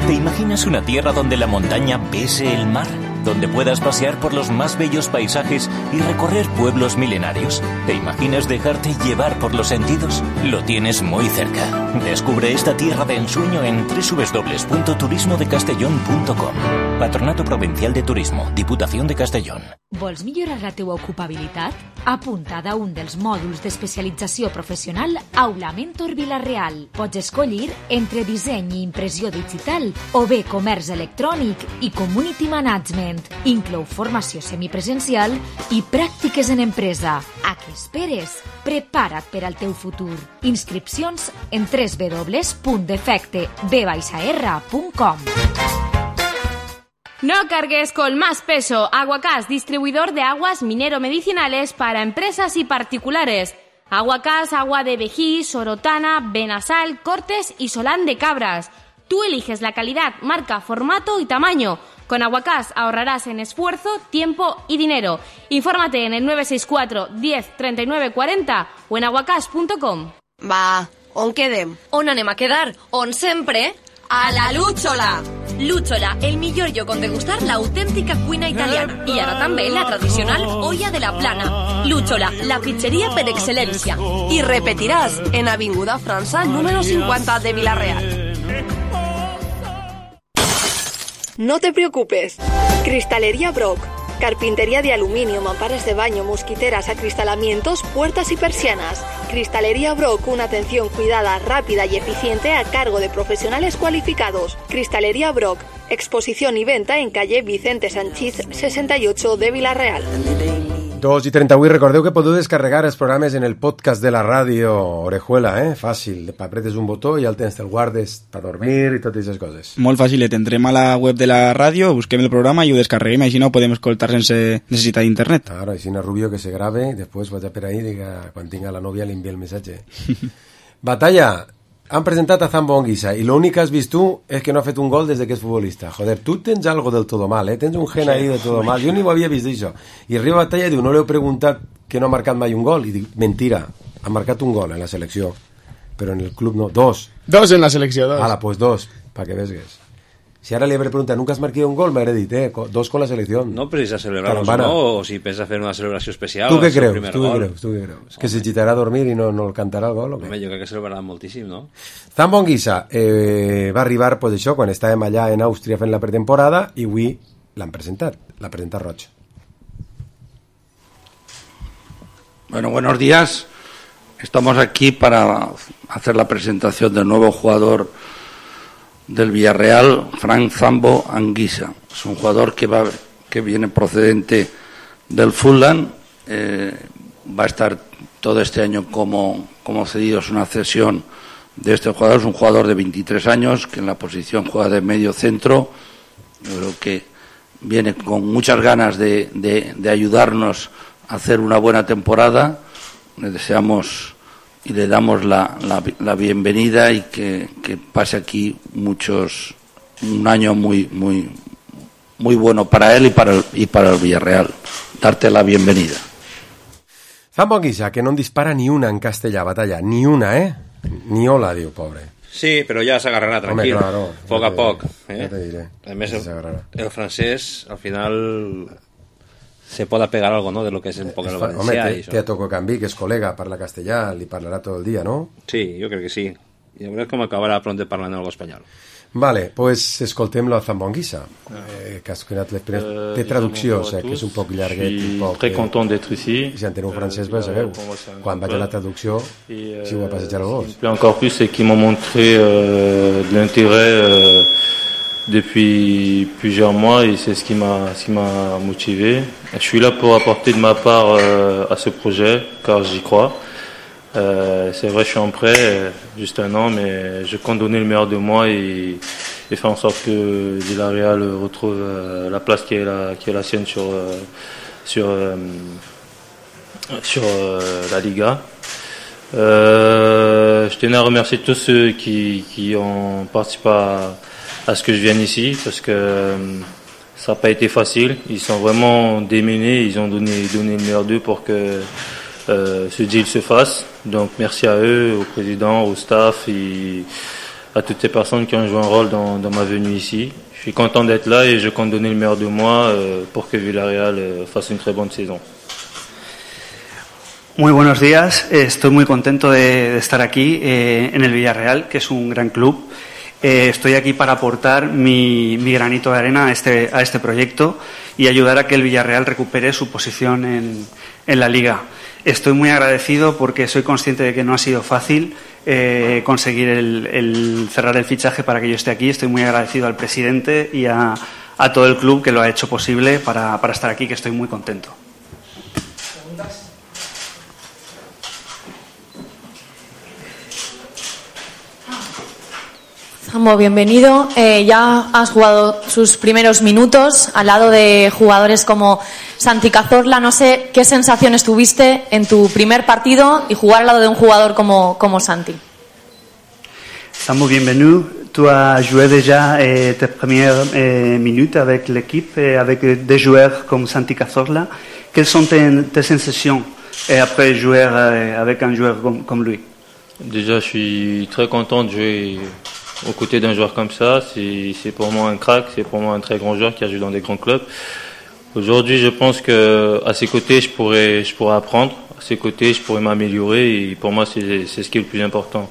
Speaker 20: ¿Te imaginas una tierra donde la montaña bese el mar? Donde puedas pasear por los más bellos paisajes y recorrer pueblos milenarios. ¿Te imaginas dejarte llevar por los sentidos? Lo tienes muy cerca. Descubre esta tierra de ensueño en www.turismodecastellón.com. Patronato Provincial de Turismo, Diputación de Castellón.
Speaker 12: Vols millorar la teua ocupabilitat? Apuntada a un dels mòduls d'especialització professional Aula Mentor Villarreal. Pots escollir entre disseny i impressió digital o bé comerç electrònic i community management. Inclou formació semipresencial i pràctiques en empresa. A què esperes? Prepara't per al teu futur. Inscripcions en www.defecteb-r.com.
Speaker 21: No cargues con más peso. Aguacás, distribuidor de aguas minero-medicinales para empresas y particulares. Aguacás, agua de Vejí, Sorotana, Benasal, Cortes y Solán de Cabras. Tú eliges la calidad, marca, formato y tamaño. Con Aguacás ahorrarás en esfuerzo, tiempo y dinero. Infórmate en el 964 10 39 40 o en aguacás.com.
Speaker 22: Va, on quedem?
Speaker 8: On anem a quedar? On sempre?
Speaker 22: A la Lúchola!
Speaker 8: Lúchola, el millor lloc on degustar l'autèntica cuina italiana. I ara també la tradicional olla de la plana. Lúchola, la pizzeria per excel·lència.
Speaker 22: I repetiràs en Avinguda França, número 50 de Vila-real.
Speaker 8: No te preocupes. Cristalería Brock. Carpintería de aluminio, mamparas de baño, mosquiteras, acristalamientos, puertas y persianas. Cristalería Brock, una atención cuidada, rápida y eficiente a cargo de profesionales cualificados. Cristalería Brock, exposición y venta en calle Vicente Sanchís 68 de Vila-real.
Speaker 2: 2:38, recordeu que podeu descarregar els programes en el podcast de la ràdio Orejuela, fàcil, apretes un botó i el tens, te'l guardes per dormir i totes aquestes coses.
Speaker 5: Molt fàcil, entrem a la web de la ràdio, busquem el programa i ho descarreguem, així no podem escoltar sense necessitat d'internet.
Speaker 2: Claro, així no Rubio que se grave, després vaig a per ahí i diga, quan tinga la novia li envia el missatge. Batalla, han presentat a Zambo Anguissa i l'únic que has vist tu és que no ha fet un gol des que és futbolista. Joder, tu tens algo del todo mal, tens un gen ahí de todo mal. Jo ni ho havia vist d'això. I arriba Batalla i diu, no li heu preguntat que no ha marcat mai un gol? I dic, mentira, ha marcat un gol en la selecció, però en el club no, dos.
Speaker 3: Dos en la selecció, dos.
Speaker 2: Ala, pues dos, pa que vesgues. Si ara li habré preguntat, ¿nunca has marcado un gol? M'hauré dit, dos con la selección.
Speaker 4: No precisa celebrarlos, no, o si pensa fer una celebració especial.
Speaker 2: Tu què creus? Tu què creus? Que se gitarà a dormir i no el cantarà el gol?
Speaker 4: Home, jo crec que celebrarà moltíssim, no?
Speaker 2: Zambo Anguissa va arribar, pues això, quan estàvem allà en Àustria fent la pretemporada i avui l'han presentat, l'ha presentat Roig.
Speaker 15: Bueno, buenos días. Estamos aquí para hacer la presentación del nuevo jugador del Villarreal, Frank Zambo Anguissa. Es un jugador que viene procedente del Fulham, va a estar todo este año como cedido, es una cesión de este jugador. Es un jugador de 23 años que en la posición juega de medio centro. Yo creo que viene con muchas ganas de ayudarnos a hacer una buena temporada. Le deseamos y le damos la bienvenida y que pase aquí un año muy bueno para él y para el Villarreal. Darte la bienvenida.
Speaker 2: Zambo Anguissa, que no en dispara ni una en castellà, Batalla, ni una, ni hola, diu, pobre.
Speaker 4: Sí, però ja s'agarrarà, tranquil.
Speaker 2: Home, claro,
Speaker 4: poc a poc.
Speaker 2: Ja te diré.
Speaker 4: A més, el francès, al final, se pot pegar algo, ¿no?, de lo que es un poc el valencià.
Speaker 2: Home, té a Toco Cambí, que és col·lega, parla castellà, li parlarà tot el dia, no?
Speaker 4: Sí, jo crec que sí. I a veure com acabarà pront parlant algo espanyol.
Speaker 2: Vale, pues escoltem-lo a Zambo Anguissa, que has donat l'experiència. Té traducció, que és un poc llarguet.
Speaker 23: Je suis très content d'être ici.
Speaker 2: Si enteneu francès, ben sabeu. Quan vaig a la traducció, si ho va passejar el gos.
Speaker 23: Encore plus, c'est qu'ils m'ont montré de l'intérêt depuis plusieurs mois et c'est ce qui m'a motivé. Je suis là pour apporter de ma part à ce projet, car j'y crois. C'est vrai, je suis en prêt, juste un an, mais je compte donner le meilleur de moi et faire en sorte que Villarreal retrouve la place qui est la sienne sur la Liga. Je tenais à remercier tous ceux qui ont participé à ce que je vienne ici, parce que ça n'a pas été facile. Ils sont vraiment démenés, ils ont donné le meilleur d'eux pour que ce deal se fasse. Donc merci à eux, au président, au staff et à toutes ces personnes qui ont joué un rôle dans ma venue ici. Je suis content d'être là et je compte donner le meilleur de moi pour que Villarreal fasse une très bonne saison.
Speaker 24: Muy buenos días, estoy muy contento de estar aquí en el Villarreal, que es un gran club. Estoy aquí para aportar mi granito de arena a este proyecto y ayudar a que el Villarreal recupere su posición en la Liga. Estoy muy agradecido porque soy consciente de que no ha sido fácil conseguir el cerrar el fichaje para que yo esté aquí. Estoy muy agradecido al presidente y a todo el club que lo ha hecho posible para estar aquí, que estoy muy contento.
Speaker 1: Sambo, bienvenido. Ya has jugado sus primeros minutos al lado de jugadores como Santi Cazorla. No sé qué sensaciones tuviste en tu primer partido y jugar al lado de un jugador como Santi.
Speaker 24: Sambo, bienvenido. Tu as joué déjà tes premières minutes avec l'équipe, avec des joueurs comme Santi Cazorla. Quelles sont tes sensations après jouer avec un joueur comme lui?
Speaker 23: Déjà, je suis très content de jouer aux côtés d'un joueur comme ça. C'est pour moi un crack, c'est pour moi un très grand joueur qui a joué dans des grands clubs. Aujourd'hui, je pense que à ses côtés, je pourrais apprendre. À ses côtés, je pourrais m'améliorer. Et pour moi, c'est ce qui est le plus important.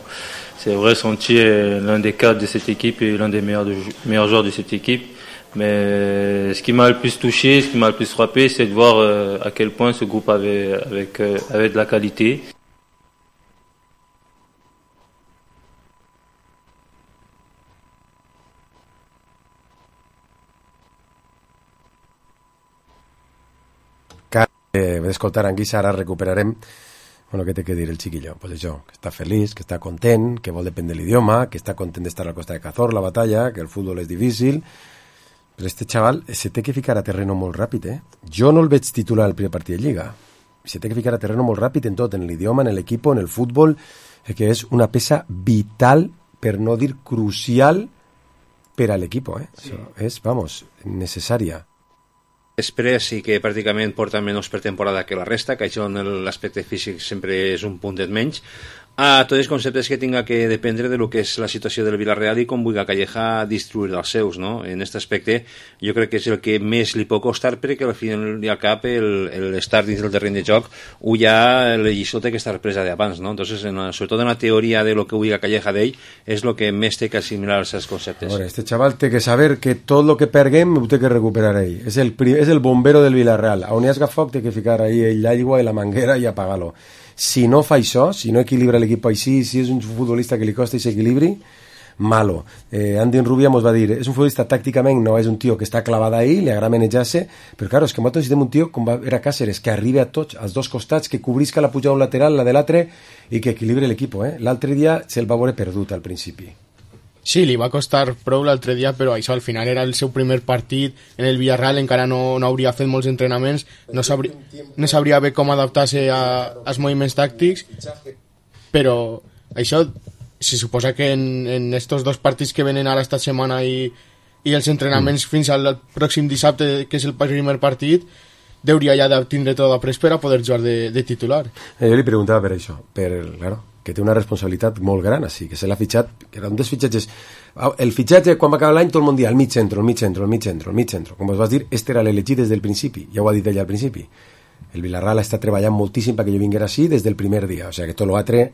Speaker 23: C'est vrai, Santi est l'un des cadres de cette équipe et l'un des meilleurs joueurs de cette équipe. Mais ce qui m'a le plus touché, ce qui m'a le plus frappé, c'est de voir à quel point ce groupe avait de la qualité.
Speaker 2: D'escoltar en Guisa, ara recuperarem. Bueno, què té que dir el xiquillo? Pues això, que està feliç, que està content, que vol depèn de l'idioma, que està content d'estar a la Costa de Cazor, la batalla, que el futbol és difícil. Però este xaval se té que ficar a terreno molt ràpid, Jo no el veig titular al primer partit de Lliga. Se té que ficar a terreno molt ràpid en tot, en l'idioma, en l'equip, en el futbol, que és una peça vital, per no dir crucial, per a l'equip, Sí. És, vamos, necessària.
Speaker 4: Després sí que pràcticament porta menys per temporada que la resta, que això en l'aspecte físic sempre és un puntet menys. A tots els conceptes que tinga que dependre de lo que és la situació del Villarreal i com vulgui Calleja distribuir els seus, no? En aquest aspecte jo crec que és el que més li pot costar, perquè al final i al cap l'estar dins del terreny de joc ho ja la lliçó té que estar presa d'abans, no? Entonces, sobretot en la teoria de lo que vulgui Calleja d'ell és el que més té que assimilar els seus conceptes.
Speaker 2: Bueno, este chaval té que saber que tot lo que perguem ho té que recuperar ell. És el bombero del Villarreal. On hi hagi foc té que ficar ahí l'aigua i la manguera i apagar-lo. Si no fa això, si no equilibra l'equip així, si és un futbolista que li costa aquest equilibri, malo. Andy Rubia mos va dir, és un futbolista tàcticament, no és un tio que està clavat ahí, li agrada manejar-se, però claro, és que nosaltres necessitem un tio com era Cáceres, que arribi a tots, als dos costats, que cobrisca la pujada un lateral, la de l'altre, i que equilibri l'equip. L'altre dia se'l va veure perdut al principi.
Speaker 3: Sí, li va costar prou l'altre dia, però això al final era el seu primer partit en el Villarreal, encara no hauria fet molts entrenaments, no sabria bé com adaptar-se als moviments tàctics, però això se suposa que en estos dos partits que venen ara esta setmana i els entrenaments fins al pròxim dissabte, que és el primer partit, deuria ja de tindre tot après per a poder jugar de titular.
Speaker 2: Jo li preguntava per això, claro, que té una responsabilitat molt gran, així, que se l'ha fitxat, que era un dels fitxatges. El fitxatge, quan va acabar l'any, tot el món dia, el mig centro. Com vos vas dir, este era l'elegit des del principi, ja ho ha dit ella al principi. El Villarreal està treballant moltíssim perquè jo vinguera així des del primer dia, o sea que tot l'altre,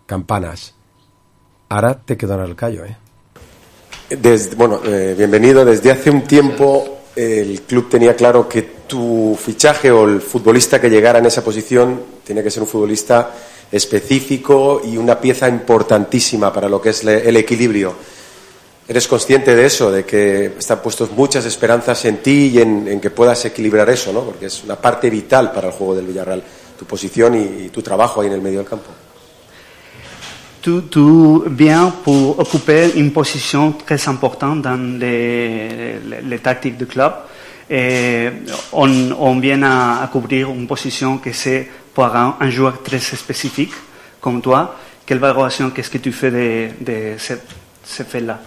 Speaker 2: campanas. Ara té que donar el callo,
Speaker 17: Bienvenido. Desde hace un tiempo el club tenía claro que tu fichaje o el futbolista que llegara en esa posición tenía que ser un futbolista específico y una pieza importantísima para lo que es el equilibrio. ¿Eres consciente de eso, de que están puestos muchas esperanzas en ti y en que puedas equilibrar eso, ¿no? Porque es una parte vital para el juego del Villarreal, tu posición y tu trabajo ahí en el medio del campo?
Speaker 24: Tu viens pour occuper une position très importante dans les tactiques du club. On vient à couvrir une position que c'est pour un joueur très spécifique comme toi. Quelle valoration, qu'est-ce que tu fais de ce fait-là?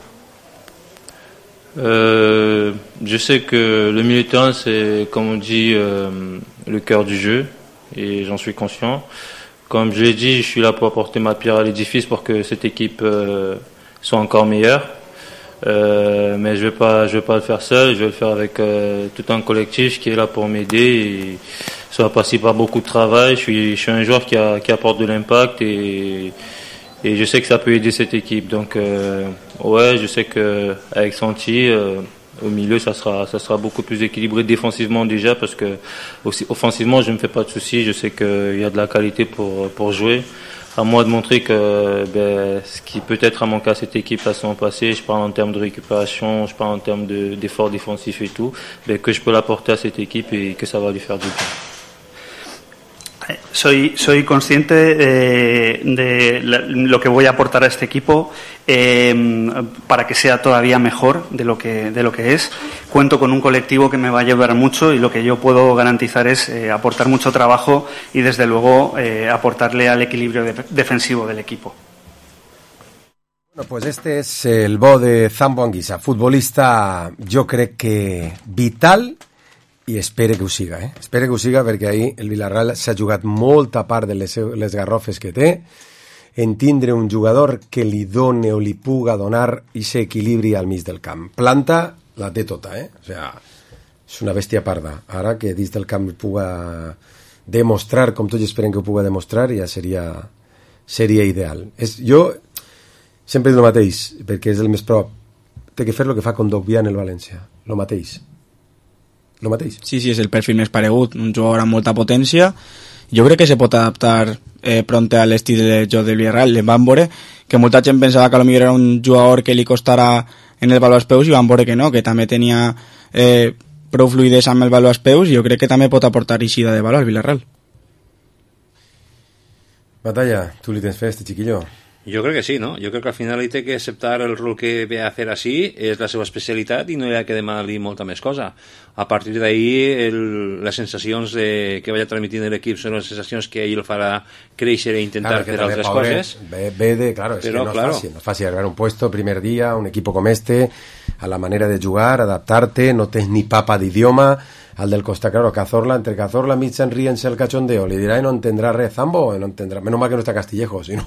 Speaker 23: Je sais que le milieu de terrain, c'est, comme on dit, le cœur du jeu, et j'en suis conscient. Comme je l'ai dit, je suis là pour apporter ma pierre à l'édifice pour que cette équipe soit encore meilleure. Mais je vais pas le faire seul, je vais le faire avec tout un collectif qui est là pour m'aider. Et ça va passer par beaucoup de travail. Je suis un joueur qui apporte de l'impact et je sais que ça peut aider cette équipe. Donc je sais que avec Santi au milieu ça sera beaucoup plus équilibré défensivement déjà, parce que aussi offensivement je me fais pas de soucis, je sais qu'il y a de la qualité pour jouer. À moi de montrer que ce qui peut-être a manqué à cette équipe la saison passée, je parle en termes de récupération, je parle en termes d'efforts défensifs et tout, que je peux l'apporter à cette équipe et que ça va lui faire du bien.
Speaker 24: Soy consciente de lo que voy a aportar a este equipo para que sea todavía mejor de lo que es. Cuento con un colectivo que me va a ayudar mucho y lo que yo puedo garantizar es aportar mucho trabajo y desde luego aportarle al equilibrio defensivo del equipo.
Speaker 2: Bueno, pues este es el bo de Zambo Anguissa, futbolista, jo crec que vital, i espere que ho siga, espere que ho siga, perquè ahir el Villarreal s'ha jugat molta part de les garrofes que té en tindre un jugador que li done o li puga donar ese equilibri al mig del camp. Planta la té tota, o sea, és una bèstia parda. Ara que dins del camp puga demostrar, com tots esperen que ho puga demostrar, ja seria ideal. Jo sempre dic el mateix, perquè és el més prop. Té que fer el que fa Kondogbia en el València, el mateix. Lo mateix.
Speaker 5: Sí, és el perfil més paregut, un jugador amb molta potència. Jo crec que se pot adaptar pronto a l'estil de joc del Villarreal. Van veure que molta gent pensava que potser era un jugador que li costara en el bal als peus i van veure que no, que també tenia prou fluidesa amb el bal als peus i jo crec que també pot aportar eixida de bal al Villarreal.
Speaker 2: Batalla, tu li tens fe a este chiquillo?
Speaker 4: Jo crec que sí, no? Jo crec que al final ell té que acceptar el rol que ve a fer així, és la seva especialitat i no hi ha que demanar-li molta més cosa. A partir d'ahir, les sensacions que vaya transmitint l'equip són les sensacions que ell el farà créixer i intentar fer altres coses.
Speaker 2: Claro, es que no es fácil agarrar un puesto primer día, un equipo como este, a la manera de jugar, adaptarte, no tens ni papa d'idioma. Al del Costa, claro, Cazorla, entre Cazorla, Mitchan, ríense el cachondeo, le dirá y no entendrá Zambo, no entendrá, menos mal que no está Castillejo, si no,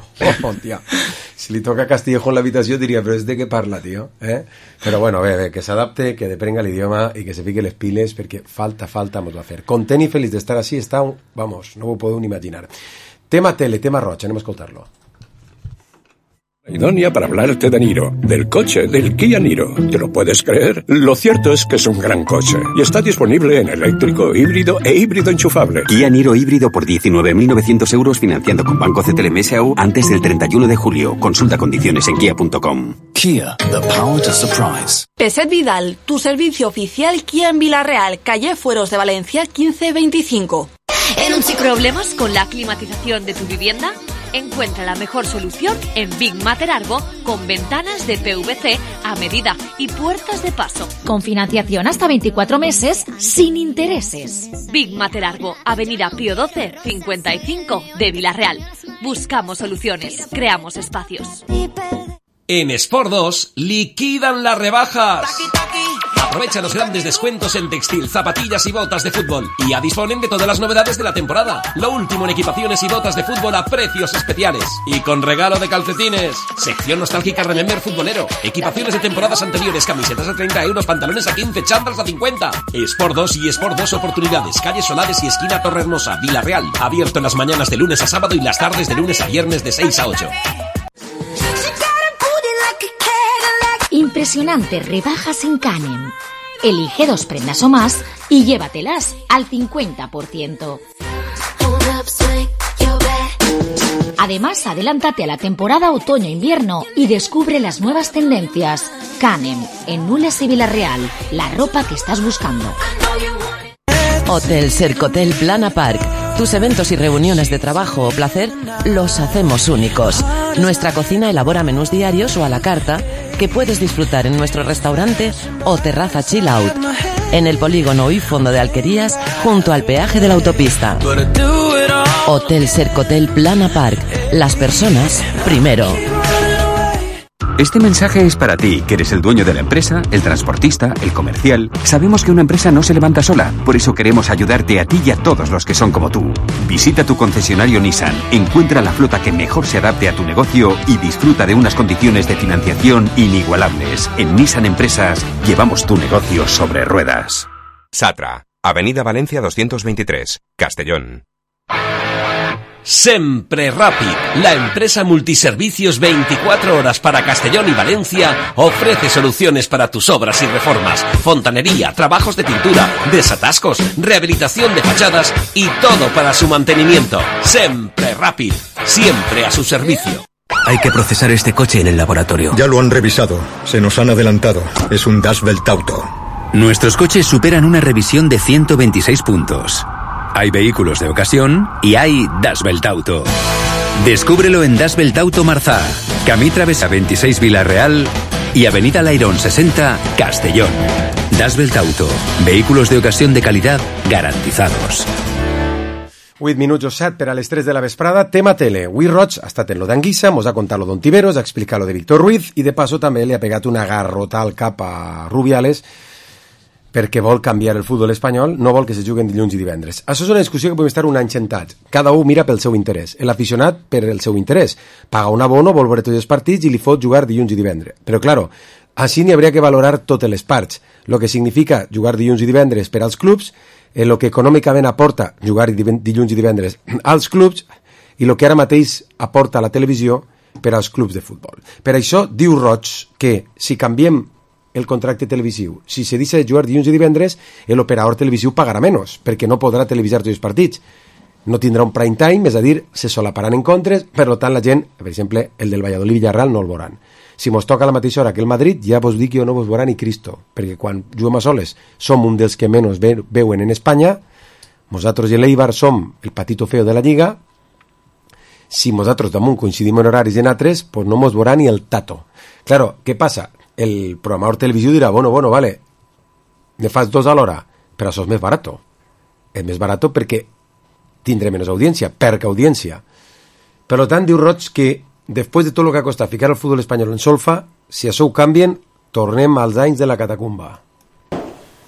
Speaker 2: tía, si le toca Castillejo en la habitación diría, pero es de qué parla, tío, Pero bueno, que se adapte, que deprenga el idioma y que se pique les piles, porque falta vamos a hacer. Content y feliz de estar así, vamos, no ho puedo ni imaginar. Tema tele, tema rocha, anem a escoltar-lo.
Speaker 6: Idónea para hablarte de Niro, del coche, del Kia Niro. ¿Te lo puedes creer? Lo cierto es que es un gran coche y está disponible en eléctrico, híbrido e híbrido enchufable.
Speaker 13: Kia Niro híbrido por 19.900 euros financiando con Banco CTLM S.A.U. antes del 31 de julio. Consulta condiciones en kia.com.
Speaker 7: Kia, the power to surprise.
Speaker 18: Peset Vidal, tu servicio oficial Kia en Villarreal, calle Fueros de Valencia 1525.
Speaker 8: ¿Problemas con la climatización de tu vivienda? Encuentra la mejor solución en Big Matter Argo con ventanas de PVC a medida y puertas de paso.
Speaker 12: Con financiación hasta 24 meses sin intereses.
Speaker 8: Big Matter Argo, Avenida Pío XII, 55 de Villarreal. Buscamos soluciones, creamos espacios.
Speaker 11: En Sport 2 liquidan las rebajas. Aprovecha los grandes descuentos en textil, zapatillas y botas de fútbol. Y ya disponen de todas las novedades de la temporada. Lo último en equipaciones y botas de fútbol a precios especiales. Y con regalo de calcetines. Sección nostálgica Remember futbolero. Equipaciones de temporadas anteriores, camisetas a 30 euros, pantalones a 15, chándals a 50. Sport 2 y Sport 2 Oportunidades. Calle Solares y esquina Torrehermosa, Villarreal. Abierto en las mañanas de lunes a sábado y las tardes de lunes a viernes de 6 a 8.
Speaker 12: Impresionantes rebajas en Canem. Elige 2 prendas o más y llévatelas al 50%. Además, adelántate a la temporada otoño-invierno y descubre las nuevas tendencias. Canem, en Nules y Villarreal, la ropa que estás buscando.
Speaker 9: Hotel Sercotel Plana Park. Tus eventos y reuniones de trabajo o placer los hacemos únicos. Nuestra cocina elabora menús diarios o a la carta que puedes disfrutar en nuestro restaurante o terraza chill out. En el polígono y fondo de Alquerías, junto al peaje de la autopista. Hotel Sercotel Plana Park. Las personas primero.
Speaker 13: Este mensaje es para ti, que eres el dueño de la empresa, el transportista, el comercial. Sabemos que una empresa no se levanta sola, por eso queremos ayudarte a ti y a todos los que son como tú. Visita tu concesionario Nissan, encuentra la flota que mejor se adapte a tu negocio y disfruta de unas condiciones de financiación inigualables. En Nissan Empresas llevamos tu negocio sobre ruedas.
Speaker 14: Satra, Avenida Valencia 223, Castellón.
Speaker 11: Sempre Rapid, la empresa multiservicios 24 horas para Castellón y Valencia, ofrece soluciones para tus obras y reformas, fontanería, trabajos de pintura, desatascos, rehabilitación de fachadas y todo para su mantenimiento. Sempre Rapid, siempre a su servicio.
Speaker 7: Hay que procesar este coche en el laboratorio.
Speaker 6: Ya lo han revisado, se nos han adelantado. Es un Dashbelt Auto.
Speaker 7: Nuestros coches superan una revisión de 126 puntos.
Speaker 13: Hay vehículos de ocasión y hay Das Belt Auto. Descúbrelo en Das Belt Auto Marzá, Camí Travesa 26 Vila-real y Avenida Lairón 60 Castellón. Das Belt Auto, vehículos de ocasión de calidad garantizados.
Speaker 2: 8 minuts o 7 per a les 3 de la vesprada. Tema tele. Avui Roig ha estat en lo d'Anguissa, mos ha contat lo d'Ontiveros, ha explicat lo de Víctor Ruiz i de passo també li ha pegat una garrota al cap a Rubiales perquè vol canviar el futbol espanyol, no vol que se juguen dilluns i divendres. Això és una discussió que podem estar un any sentats. Cada un mira pel seu interès. L'aficionat per el seu interès. Paga un abono, vol veure tots els partits i li fot jugar dilluns i divendres. Però, claro, així n'hi hauria que valorar totes les parts. Lo que significa jugar dilluns i divendres per als clubs, el que econòmicament aporta jugar dilluns i divendres als clubs i el que ara mateix aporta la televisió per als clubs de futbol. Per això diu Roig que si canviem el contracte televisiu, si se deixa de jugar dilluns i divendres, l'operador televisiu pagarà menys, perquè no podrà televisar tots els partits. No tindrà un prime time, és a dir, se solaparan encontres, per tant la gent, per exemple, el del Valladolid Villarreal no el veuran. Si mos toca a la mateixa hora que el Madrid, ja vos dic que jo no vos veurà ni Cristo, perquè quan juguem a soles som un dels que menys veuen en Espanya, nosaltres i l'Eibar som el patito feo de la Lliga, si nosaltres damunt coincidim en horaris en altres, pues no mos veurà ni el tato. Claro, què passa? El programador televisiu dirà, bueno, vale, me fas 2 a l'hora, però això és més barat. És més barat perquè tindré menys audiència, perca audiència. Per tant, diu Roig que després de tot el que ha costat ficar el futbol espanyol en solfa, si això ho canvien, tornem als anys de la catacumba.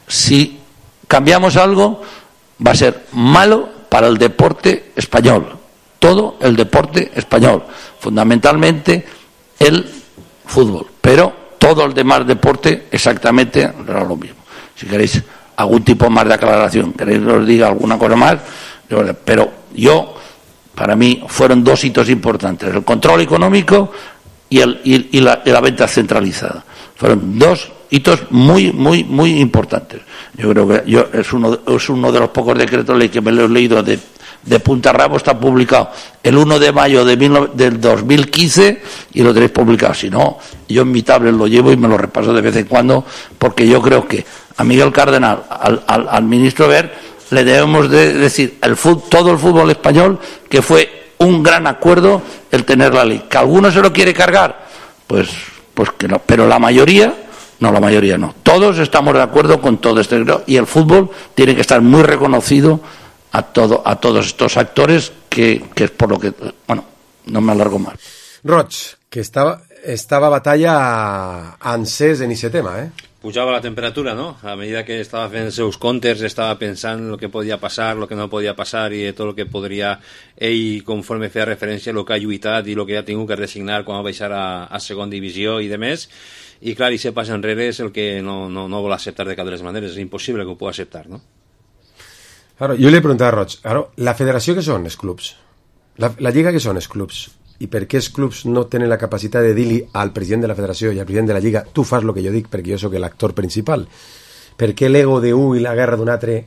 Speaker 15: Si cambiamos algo, va a ser malo para el deporte español. Todo el deporte español. Fundamentalmente el fútbol. Pero todo el demás deporte exactamente era lo mismo. Si queréis algún tipo más de aclaración, queréis que os diga alguna cosa más, pero para mí fueron 2 hitos importantes, el control económico y la venta centralizada. Fueron 2 hitos muy importantes. Yo creo que es uno de los pocos decretos de ley que me lo he leído de punta a rabo, está publicado el 1 de mayo del 2015 y lo tenéis publicado. Si no, yo en mi tablet lo llevo y me lo repaso de vez en cuando, porque yo creo que a Miguel Cardenal, al ministro Wert, le debemos de decir todo el fútbol español que fue un gran acuerdo el tener la ley. ¿Que alguno se lo quiere cargar? Pues que no. Pero la mayoría no. Todos estamos de acuerdo con todo este, y el fútbol tiene que estar muy reconocido a todos estos actores que es por lo que... Bueno, no me alargo más.
Speaker 2: Roig, que estaba batalla encès en ese tema,
Speaker 4: Pujava la temperatura, ¿no? A medida que estava fent els seus comptes, estava pensant el que podia passar, el que no podia passar i tot el que podria ell, conforme feia referència a el que ha lluitat i el que ha tingut que resignar quan va baixar a segona divisió i de més. I clar, i se pas enrere és el que no vol acceptar de cap de les maneres. És impossible que ho pugui acceptar, no?
Speaker 2: Claro, jo li he preguntat a Roig, la federació què són els clubs? La lliga què són els clubs? I per què els clubs no tenen la capacitat de dir-li al president de la federació i al president de la lliga tu fas el que jo dic perquè jo sóc l'actor principal? Per què l'ego d'un i la guerra d'un altre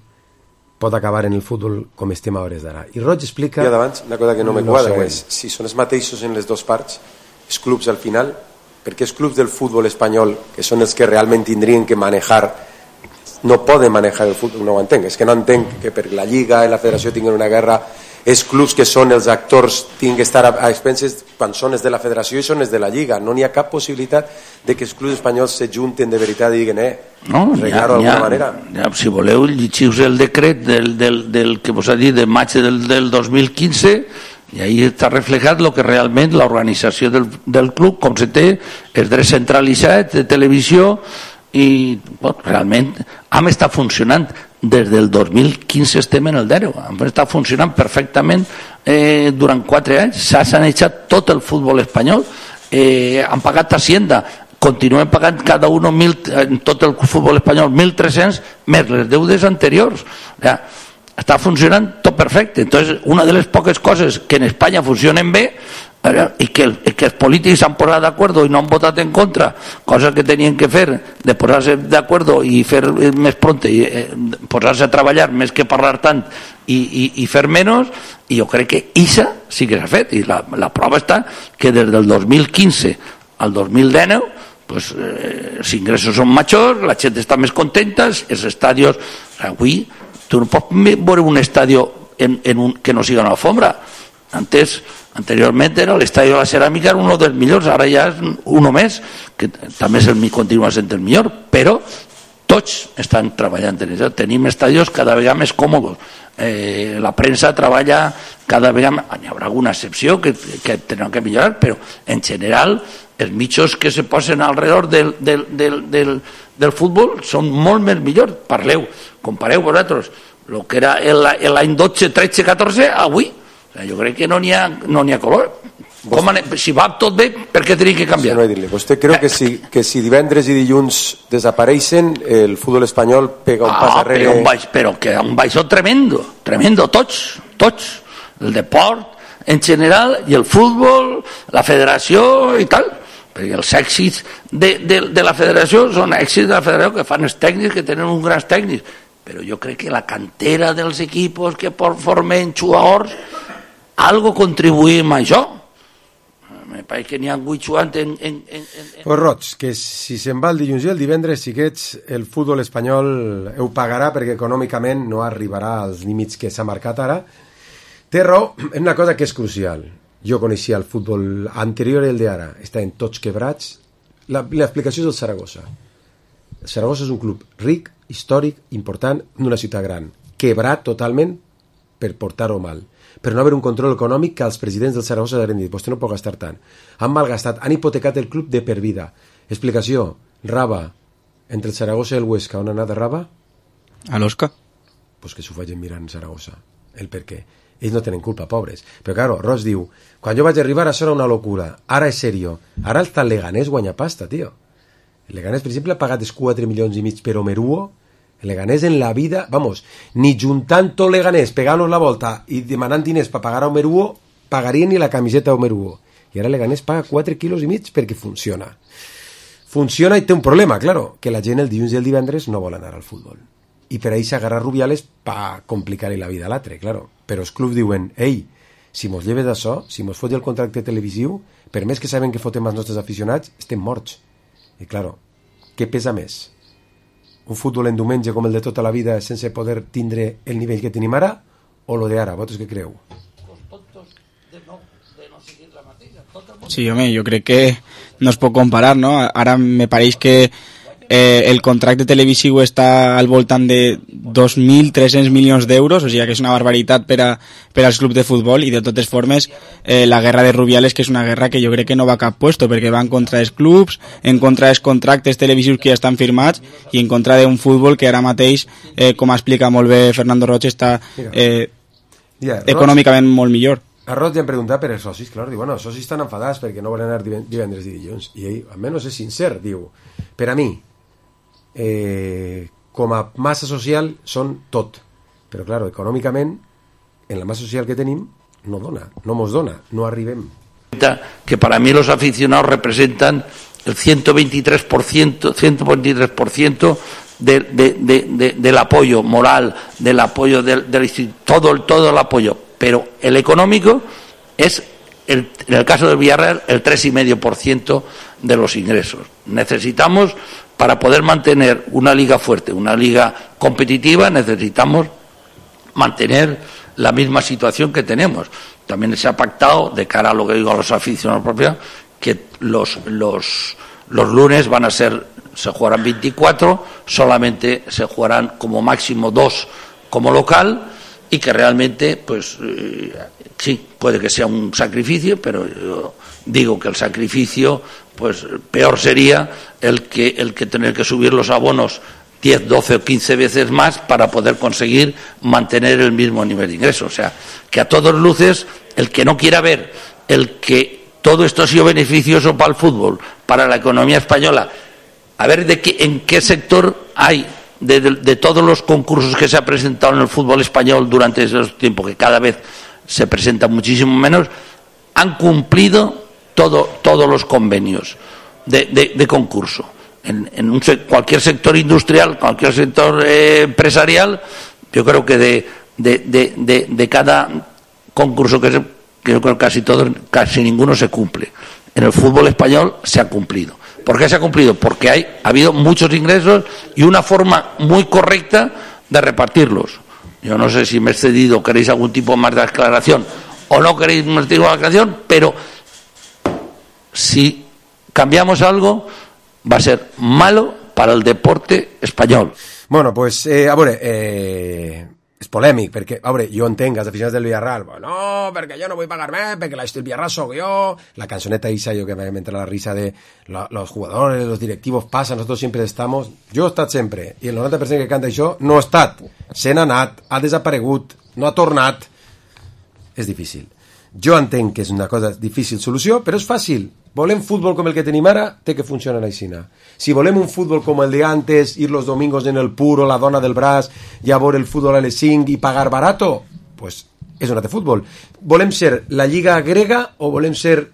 Speaker 2: pot acabar en el futbol com estem a hores d'ara? I Roig explica...
Speaker 17: I d'abans, una cosa que no me quadra és si són els mateixos en les dues parts, els clubs al final, perquè els clubs del futbol espanyol, que són els que realment tindrien que manejar, no poden manejar el futbol, no ho entenc, és que no entenc que per la lliga i la federació tinguin una guerra. Els clubs que són els actors tinguin que estar a expenses quan són els de la federació i són els de la lliga. No n'hi ha cap possibilitat de que els clubs espanyols se junten de veritat i diguin arreglar-ho d'alguna manera.
Speaker 15: Si voleu, llegiu el decret del que vos ha dit de maig del 2015 i ahí està reflejat el que realment l'organització del club, com se té el dret centralitzat de televisió i realment hem estat funcionant des del 2015, estem en el 0, hem estat funcionant perfectament durant 4 anys, s'ha sanejat tot el futbol espanyol, han pagat Hacienda, continuem pagant cada un en tot el futbol espanyol 1.300 més les deudes anteriors, està funcionant tot perfecte. Entonces, una de les poques coses que en Espanya funcionen bé i que els polítics s'han posat d'acord i no han votat en contra, cosa que tenien que fer de posar-se d'acord i fer més pront i posar-se a treballar més que parlar tant i fer menys, i jo crec que això sí que s'ha fet, i la prova està que des del 2015 al 2019 pues, els ingressos són majors, la gent està més contenta, els estadios avui Tu no pots veure un estadi que no siga una alfombra. Anteriorment era l'estadi de la Ceràmica, era un dels millors, ara ja és un més, que també continua sent el millor, però tots estan treballant en això. Tenim estadios cada vegada més còmodes. La premsa treballa cada vegada més. Hi haurà alguna excepció que tenen que millorar, però en general els mitjos que se posen alrededor del futbol són molt més millors. Compareu vosaltres el que era l'any 12, 13, 14 avui. Jo crec que no n'hi ha color. Si va tot bé, per què tenim que canviar?
Speaker 17: Sí, no dir-li. Vostè creu que si divendres i dilluns desapareixen, el futbol espanyol pega un pas darrere?
Speaker 15: Però que un baixó tremendo, tots. El deport en general i el futbol, la federació i tal. Perquè els èxits de la federació són èxits de la federació que fan els tècnics, que tenen uns grans tècnics. Però jo crec que la cantera dels equipos que formen jugadors algo contribuïm a això. Me pareix que n'hi ha 8 jugant
Speaker 2: Pues Roig, que si se'n va el dilluns i el divendres, xiquets, el futbol espanyol ho pagarà perquè econòmicament no arribarà als límits que s'ha marcat ara. Té raó en una cosa que és crucial. Jo coneixia el futbol anterior i el d'ara. Estaven tots quebrats. L'explicació és el Saragossa. El Saragossa és un club ric, històric, important, d'una ciutat gran. Quebrat totalment per portar-ho mal. Per no haver un control econòmic que els presidents del Saragossa han dit, vostè no pot gastar tant. Han malgastat, han hipotecat el club de per vida. Explicació, Raba, entre el Saragossa i el Huesca, on ha anat Raba?
Speaker 5: A l'Osca.
Speaker 2: Pues que s'ho vagin mirant Saragossa, el per què. Ells no tenen culpa, pobres. Però claro, Ross diu, quan jo vaig arribar això era una locura, ara és serio. Ara el Leganés guanya pasta, tio. El Leganés, per exemple, ha pagat 4,5 milions per Omeruo. El Leganés en la vida, vamos, ni juntant tot Leganés, pegant-nos la volta i demanant diners per pagar a Omeruo, pagarien ni la camiseta a Omeruo. I ara el Leganés paga 4,5 quilos perquè funciona. Funciona i té un problema, claro, que la gent el dilluns i el divendres no vol anar al futbol. I per ahí s'agarra Rubiales per complicar-li la vida a l'altre, claro. Però els clubs diuen, ei, si mos lleves d'això, si mos fot el contracte televisiu, per més que sabem que fotem els nostres aficionats, estem morts. I claro, què pesa més? Un futbol en diumenge com el de tota la vida sense poder tindre el nivell que tenim ara o lo de ara? Vosaltres què creu?
Speaker 5: Sí, home, jo crec que no es pot comparar, no? Ara me pareix que el contracte televisiu està al voltant de 2.300 milions d'euros, o sigui que és una barbaritat per als clubs de futbol, i de totes formes la guerra de Rubiales, que és una guerra que jo crec que no va a cap puesto, perquè va en contra dels clubs, en contra dels contractes televisius que ja estan firmats i en contra d'un futbol que ara mateix, com explica molt bé Fernando Roig, està econòmicament molt millor.
Speaker 2: A Roig ja em preguntat per els socis, clar, diu, bueno, els socis estan enfadats perquè no volen anar divendres i dilluns, i ell, almenys és sincer, diu, per a mi, com a massa social són tot, però claro, econòmicament en la massa social que tenim no mos dona, no arribem.
Speaker 15: Que para mí los aficionados representan el 123% del apoyo moral, del apoyo del todo el apoyo, pero el económico es, en el caso del Villarreal, el 3,5% de los ingresos. Necesitamos, para poder mantener una liga fuerte, una liga competitiva, necesitamos mantener la misma situación que tenemos. También se ha pactado, de cara a lo que digo a los aficionados propios, que los lunes se jugarán 24, solamente se jugarán como máximo 2 como local, y que realmente, pues sí, puede que sea un sacrificio, pero yo digo que el sacrificio, pues peor sería el que tener que subir los abonos 10, 12 o 15 veces más para poder conseguir mantener el mismo nivel de ingresos. O sea, que a todas luces, el que no quiera ver el que todo esto ha sido beneficioso para el fútbol, para la economía española, a ver en qué sector hay de todos los concursos que se ha presentado en el fútbol español durante esos tiempos, que cada vez se presenta muchísimo menos, han cumplido todos los convenios de concurso. En cualquier sector industrial, cualquier sector empresarial, yo creo que de cada concurso que yo creo que casi ninguno se cumple. En el fútbol español se ha cumplido. ¿Por qué se ha cumplido? Porque ha habido muchos ingresos y una forma muy correcta de repartirlos. Yo no sé si me he excedido, queréis algún tipo más de aclaración o no queréis más tipo de aclaración, pero si cambiamos algo va a ser malo para el deporte espanyol.
Speaker 2: Bueno, pues, a veure, és polèmic, perquè, a veure, jo entenc els aficionats del Villarreal, no, perquè jo no vull pagar més, perquè el Villarreal soc jo, la cançoneta esa, yo que me entra la risa de los jugadores, los directivos pasan, nosotros siempre estamos, jo he estat sempre, i el 90% que canta això no ha estat, se n'ha anat, ha desaparegut, no ha tornat, és difícil. Jo entenc que és una cosa difícil solució, però és fàcil. Volem futbol com el que tenim ara, té que funcionar així. Si volem un futbol com el de antes, ir los domingos en el puro, la dona del braç, i a veure el futbol a les 5 i pagar barato, pues és un altre futbol. Volem ser la lliga grega o volem ser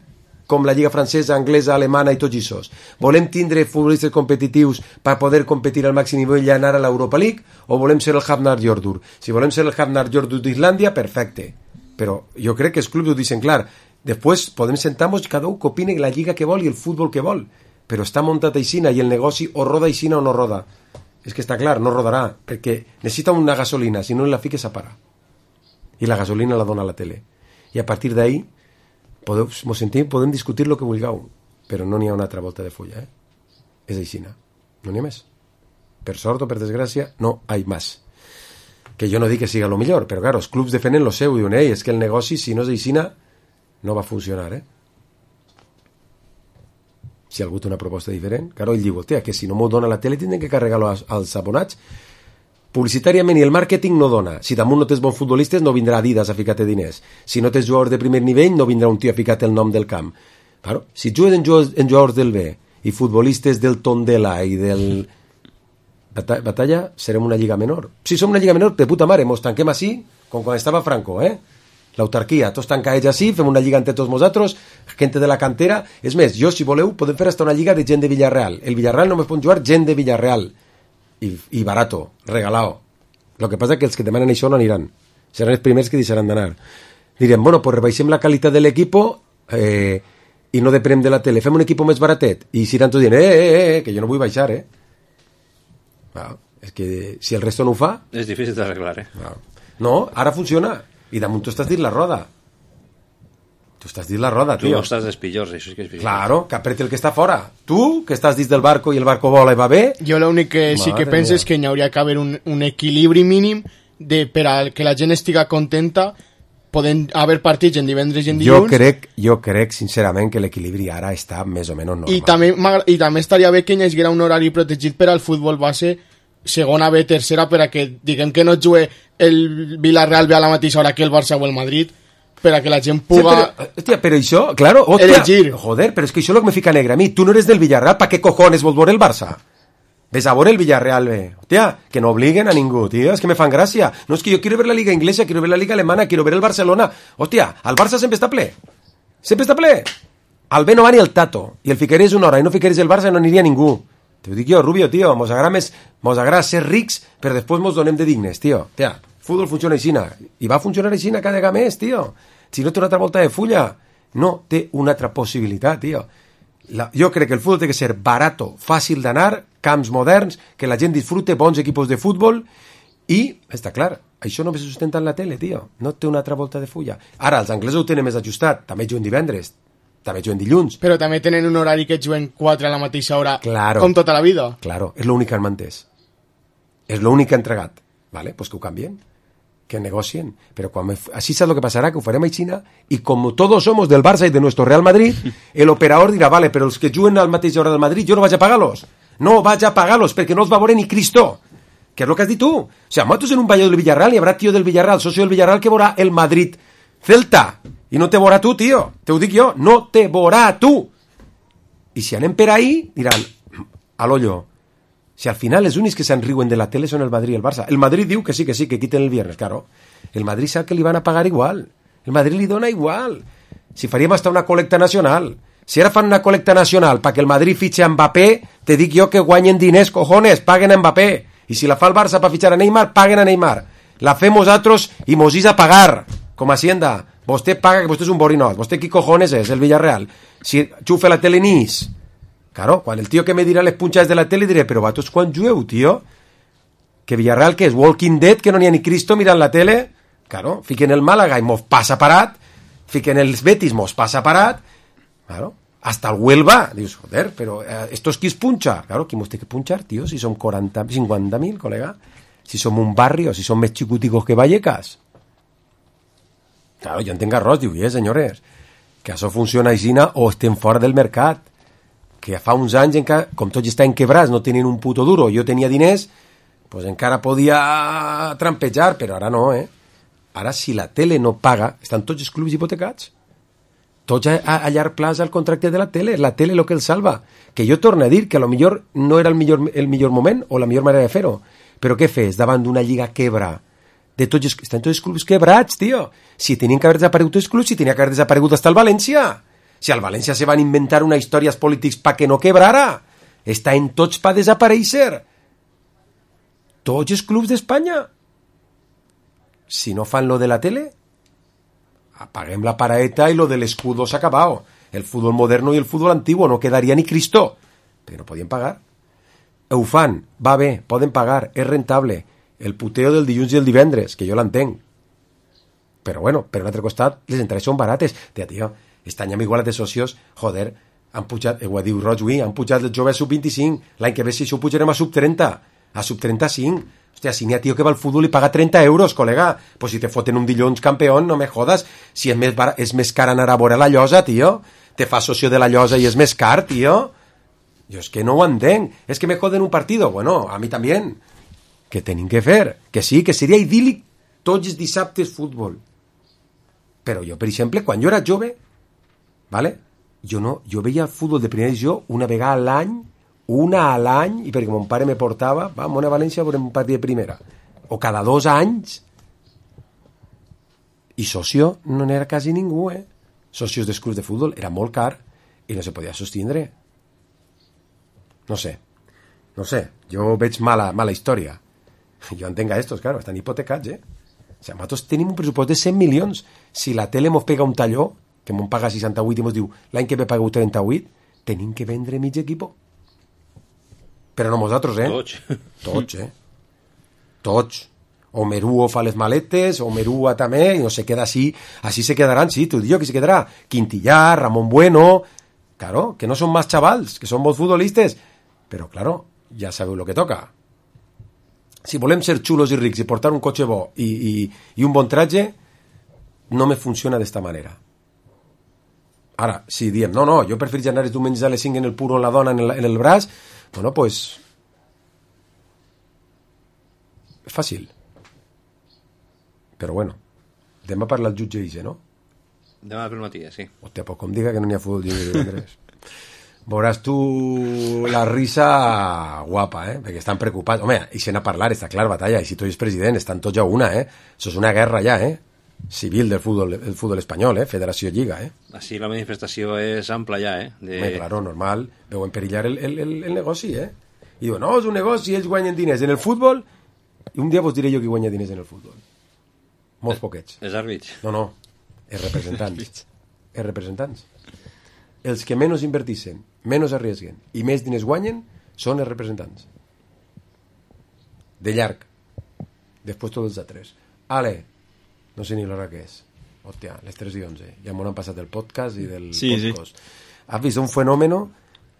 Speaker 2: com la lliga francesa, anglesa, alemana i tots aquests? Volem tindre futbolistes competitius per poder competir al màxim nivell i anar a l'Europa League o volem ser el Hafnar Jordur? Si volem ser el Hafnar Jordur d'Islàndia, perfecte. Però jo crec que els clubs ho dicen clar. Després podem sentar-nos cada un que opine la lliga que vol i el futbol que vol. Però està muntat aixina i el negoci o roda aixina o no roda. És que està clar, no rodarà, perquè necessita una gasolina, si no la fiques a parar. I la gasolina la dona a la tele. I a partir d'ahí podem discutir el que vulgueu, però no n'hi ha una altra volta de fulla. És aixina. No n'hi ha més. Per sort o per desgràcia, no hi ha més. Que jo no dic que siga lo millor, però claro, els clubs defenen lo seu i diuen, és que el negoci, si no és aixina, no va funcionar, Si algú té una proposta diferent, claro, ell diu, que si no m'ho dona la tele tindrem que carregar-lo als abonats. Publicitàriament i el màrqueting no dona. Si damunt no tens bons futbolistes, no vindrà Adidas a ficar-te diners. Si no tens jugadors de primer nivell, no vindrà un tio a ficar-te el nom del camp. Claro, si jugues en jugadors del B i futbolistes del Tondela i del Batalla, serem una lliga menor. Si som una lliga menor, de puta mare, mos tanquem així, com quan estava Franco, l'autarquia, tots tancats així, fem una lliga entre tots nosaltres, gente de la cantera. És més, jo, si voleu, podem fer hasta una lliga de gent de Villarreal. El Villarreal només pot jugar gent de Villarreal. I barato, regalado. Lo que passa que els que demanen això no aniran. Seran els primers que deixaran d'anar. Direm, bueno, pues rebaixem la qualitat de l'equipo i no depenem de la tele. Fem un equipo més baratet. I si iran tots dient, que jo no vull baixar, és que si el resto no ho fa...
Speaker 4: És difícil d'arreglar,
Speaker 2: No, ara funciona. I damunt tu estàs dins la roda. Tu estàs dins la roda, tio.
Speaker 4: Tu estàs dels pitjors, això és que és pitjor.
Speaker 2: Claro, que apreti el que està fora. Tu, que estàs dins del barco i el barco vola i va bé...
Speaker 3: Jo l'únic que sí que penso és que hi hauria que haver un equilibri mínim per a que la gent estiga contenta. Poden haver partits en divendres i en dilluns.
Speaker 2: Jo crec sincerament que l'equilibri ara està més o menys normal.
Speaker 3: I també estaria bé que hi hagués un horari protegit per al futbol base segona B, tercera, per a que diguem que no jugui el Villarreal a la mateixa hora que el Barça o el Madrid, per a que la gent puga
Speaker 2: però això, claro,
Speaker 3: elegir.
Speaker 2: Joder, però és que això és el que me fica negre a mi. Tu no eres del Villarreal, ¿pa qué cojones vols veure el Barça? Ves a veure el Villarreal bé. Hòstia, que no obliguen a ningú, tío, es que me fan gràcia. No, es que yo quiero ver la liga inglesa, quiero ver la liga alemana, quiero ver el Barcelona. Hòstia, el Barça sempre està ple. Sempre està ple. Al B no va ni el Tato. I el ficaries una hora i no ficaries el Barça, no aniria ningú. Te ho dic jo, Rubio, tio, mos agrada ser rics, però després mos donem de dignes, tio. Hòstia, futbol funciona aixina. I va funcionar aixina cada vegada més, tio. Si no té una altra volta de fulla, no té una altra possibilitat, tio. Jo crec que el futbol té que ser barato, fàcil d'anar, camps moderns, que la gent disfrute, bons equipos de futbol, i, està clar, això només se sustenta en la tele, tio. No té una altra volta de fulla. Ara, els anglesos ho tenen més ajustat, també juguen divendres, també juguen dilluns.
Speaker 3: Però també tenen un horari que juguen 4 a la mateixa hora, com tota la vida.
Speaker 2: Claro, és l'únic que han mantès. És l'únic que han entregat. Vale, pues que ho canvien, que negocien. Però així saps el que passarà, que ho farem a Xina, i com tots somos del Barça i de nuestro Real Madrid, el operador dirà, vale, però els que juguen al mateix hora del Madrid, jo no vaig a pagar-los. No vaig a pagar-los, perquè no els va veure ni Cristo. Que és el que has dit tu. O sea, nosaltres en un balló del Villarreal hi haurà tio del Villarreal, socio del Villarreal, que veurà el Madrid Celta. I no te veurà tu, tio. Te ho dic jo. No te veurà tu. I si anem per ahí, diran, a l'ollo. Si al final els únics que se'n riuen de la tele són el Madrid i el Barça. El Madrid diu que sí, que quiten el viernes, claro. El Madrid sap que li van a pagar igual. El Madrid li dona igual. Si faríem hasta una col·lecta nacional. Si ara fan una col·lecta nacional perquè el Madrid fitxe a Mbappé, te dic jo que guanyen diners, cojones, paguen a Mbappé. I si la fa el Barça per fitxar a Neymar, paguen a Neymar. La fem nosaltres i mos is a pagar, com a Hacienda. Vostè paga, que vostè és un borinot. Vostè qui cojones és, el Villarreal? Si xufa la tele nis. Claro, quan el tio que me dirà les punxades de la tele diré, però vatos quan jueu, tio? Que Villarreal, que és Walking Dead, que no n'hi ha ni Cristo mirant la tele. Claro, fiquen el Málaga i mos passa parat, fiquen els Betis, mos passa parat, claro, hasta el Huelva, dius, joder, pero estos qui es punxa? Claro, qui mos té que punxar, tío, si som 50.000, colega, si som un barri o si som més xicuticos que Vallecas. Claro, jo entenc arròs, diu, senyores, que això funciona aixina o estem fora del mercat, que fa uns anys, com tots estan quebrats, no tenien un puto duro, jo tenia diners, pues encara podia trampejar, però ara no, Ara, si la tele no paga, estan tots els clubs hipotecats. Tots a llarg plaç al contracte de la tele el que el salva. Que jo torno a dir que a lo millor no era el millor moment o la millor manera de fer-ho, però què fes davant d'una lliga quebra? Estan tots els clubs quebrats, tio. Si tenien que haver desaparegut els clubs, si tenia que haver desaparegut hasta el València. Si al València se van inventar una històries polítics pa que no quebrara. Estan tots pa desaparèixer. Tots els clubs d'Espanya. Si no fan lo de la tele, apaguem la paraeta y lo del escudo se ha acabado. El fútbol moderno y el fútbol antiguo, no quedaría ni Cristo. Pero no podien pagar. Ho fan, va bé, poden pagar, és rentable. El puteo del dilluns i el divendres, que jo l'entenc. Però bueno, per un altre costat, les entrades són barates. Tio, este any amb igualat de socios, joder, han pujat, ho diu Roig, han pujat els joves sub-25, l'any que ve si això ho pujarem a sub-30, a sub-35. Hòstia, si n'hi ha tio que va al futbol i paga 30 euros, col·lega, pues si te foten un dilluns campeón, no me jodas, si és més car anar a veure la llosa, tio, te fa socio de la llosa i és més car, tio. Jo és que no ho entenc, és que me joden un partido, bueno, a mi també, que tenim que fer, que sí, que seria idíl·lic tots els dissabtes futbol. Però jo, per exemple, quan jo era jove, vale? Jo veia el futbol de primera divisió una vegada a l'any, i perquè mon pare me portava, va, a València a veure un partit de primera, o cada 2 anys, i socio no n'era quasi ningú, socios dels clubs de futbol, era molt car, i no se podia sostindre. No sé, jo veig mala història. Jo entenc a estos, claro, estan hipotecats, O sigui, nosaltres tenim un pressupost de 100 milions, si la tele mos pega un talló, que mos paga 68 i mos diu, l'any que ve pagueu 38, tenim que vendre mig equipo. Però no nosaltres, Tots. O Merúo fa les maletes, o Merúa també, i no se queda així se quedaran, sí, t'ho dic, qui se quedarà? Quintillar, Ramón Bueno, claro, que no són más chavals, que són bons futbolistes, però, claro, ja sabeu lo que toca. Si volem ser xulos i rics i portar un cotxe bo i un bon tratge, no me funciona d'esta manera. Ara, si diem, no, jo prefereixo anar els diumenges a les 5 en el puro amb la dona en el braç, bueno, pues és fàcil. Però bueno, demà parla el jutge Ise, no?
Speaker 4: Demà pel matí, sí.
Speaker 2: Hòstia, pues com diga que no n'hi ha futbol divendres. Veuràs tu la risa guapa, perquè estan preocupats. Home, i se n'ha parlat, està clar, batalla, i si tu ets president, estan tots a una, Això és una guerra ja, civil del futbol espanyol, Federació Lliga,
Speaker 4: Així la manifestació és ampla ja,
Speaker 2: Claro, normal, veuen perillar el negoci, I diuen, no, és un negoci, ells guanyen diners en el futbol, i un dia vos diré jo qui guanya diners en el futbol. Molts poquets.
Speaker 4: Els àrbits.
Speaker 2: No, els representants. Els que menys invertixen, menys arriesguen i més diners guanyen són els representants. De llarg. Després tots els altres. No sé ni l'hora que és. Hòstia, les 3:11. Ja m'ho han passat del podcast i del podcast. Has vist un fenómeno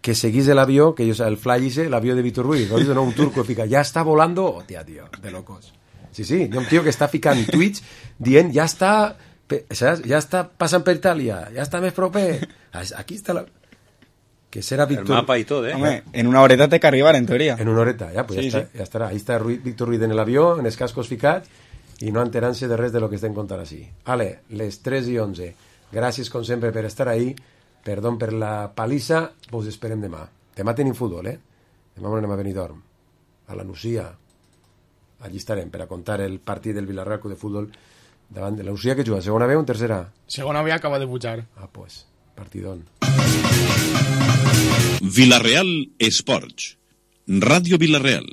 Speaker 2: que seguís l'avió, que el fly l'avió de Víctor Ruiz, no, un turco fica, ja està volando, hòstia, tio, de locos. Sí, hi ha un tio que està ficant tuits dient, ja està passant per Itàlia, ja està més proper, aquí està la... Que serà Víctor...
Speaker 4: El mapa i tot,
Speaker 5: Home, en una horeta té que arribar, en teoria.
Speaker 2: En una horeta, pues ja estarà. Ahí està Víctor Ruiz en l'avió, en els cascos ficats, i no enterant-se de res de lo que estem contant així. Les 3:11. Gràcies, com sempre, per estar ahí. Perdó per la palissa, vos esperem demà. Demà tenim futbol, Demà anem a Benidorm, a la Nucia. Allí estarem per a contar el partit del Villarreal Club de Futbol davant de la Nucia, que juga segona B o en tercera?
Speaker 3: Segona B, acaba de pujar.
Speaker 2: Pues, partidón.
Speaker 10: Villarreal Esports. Ràdio Villarreal.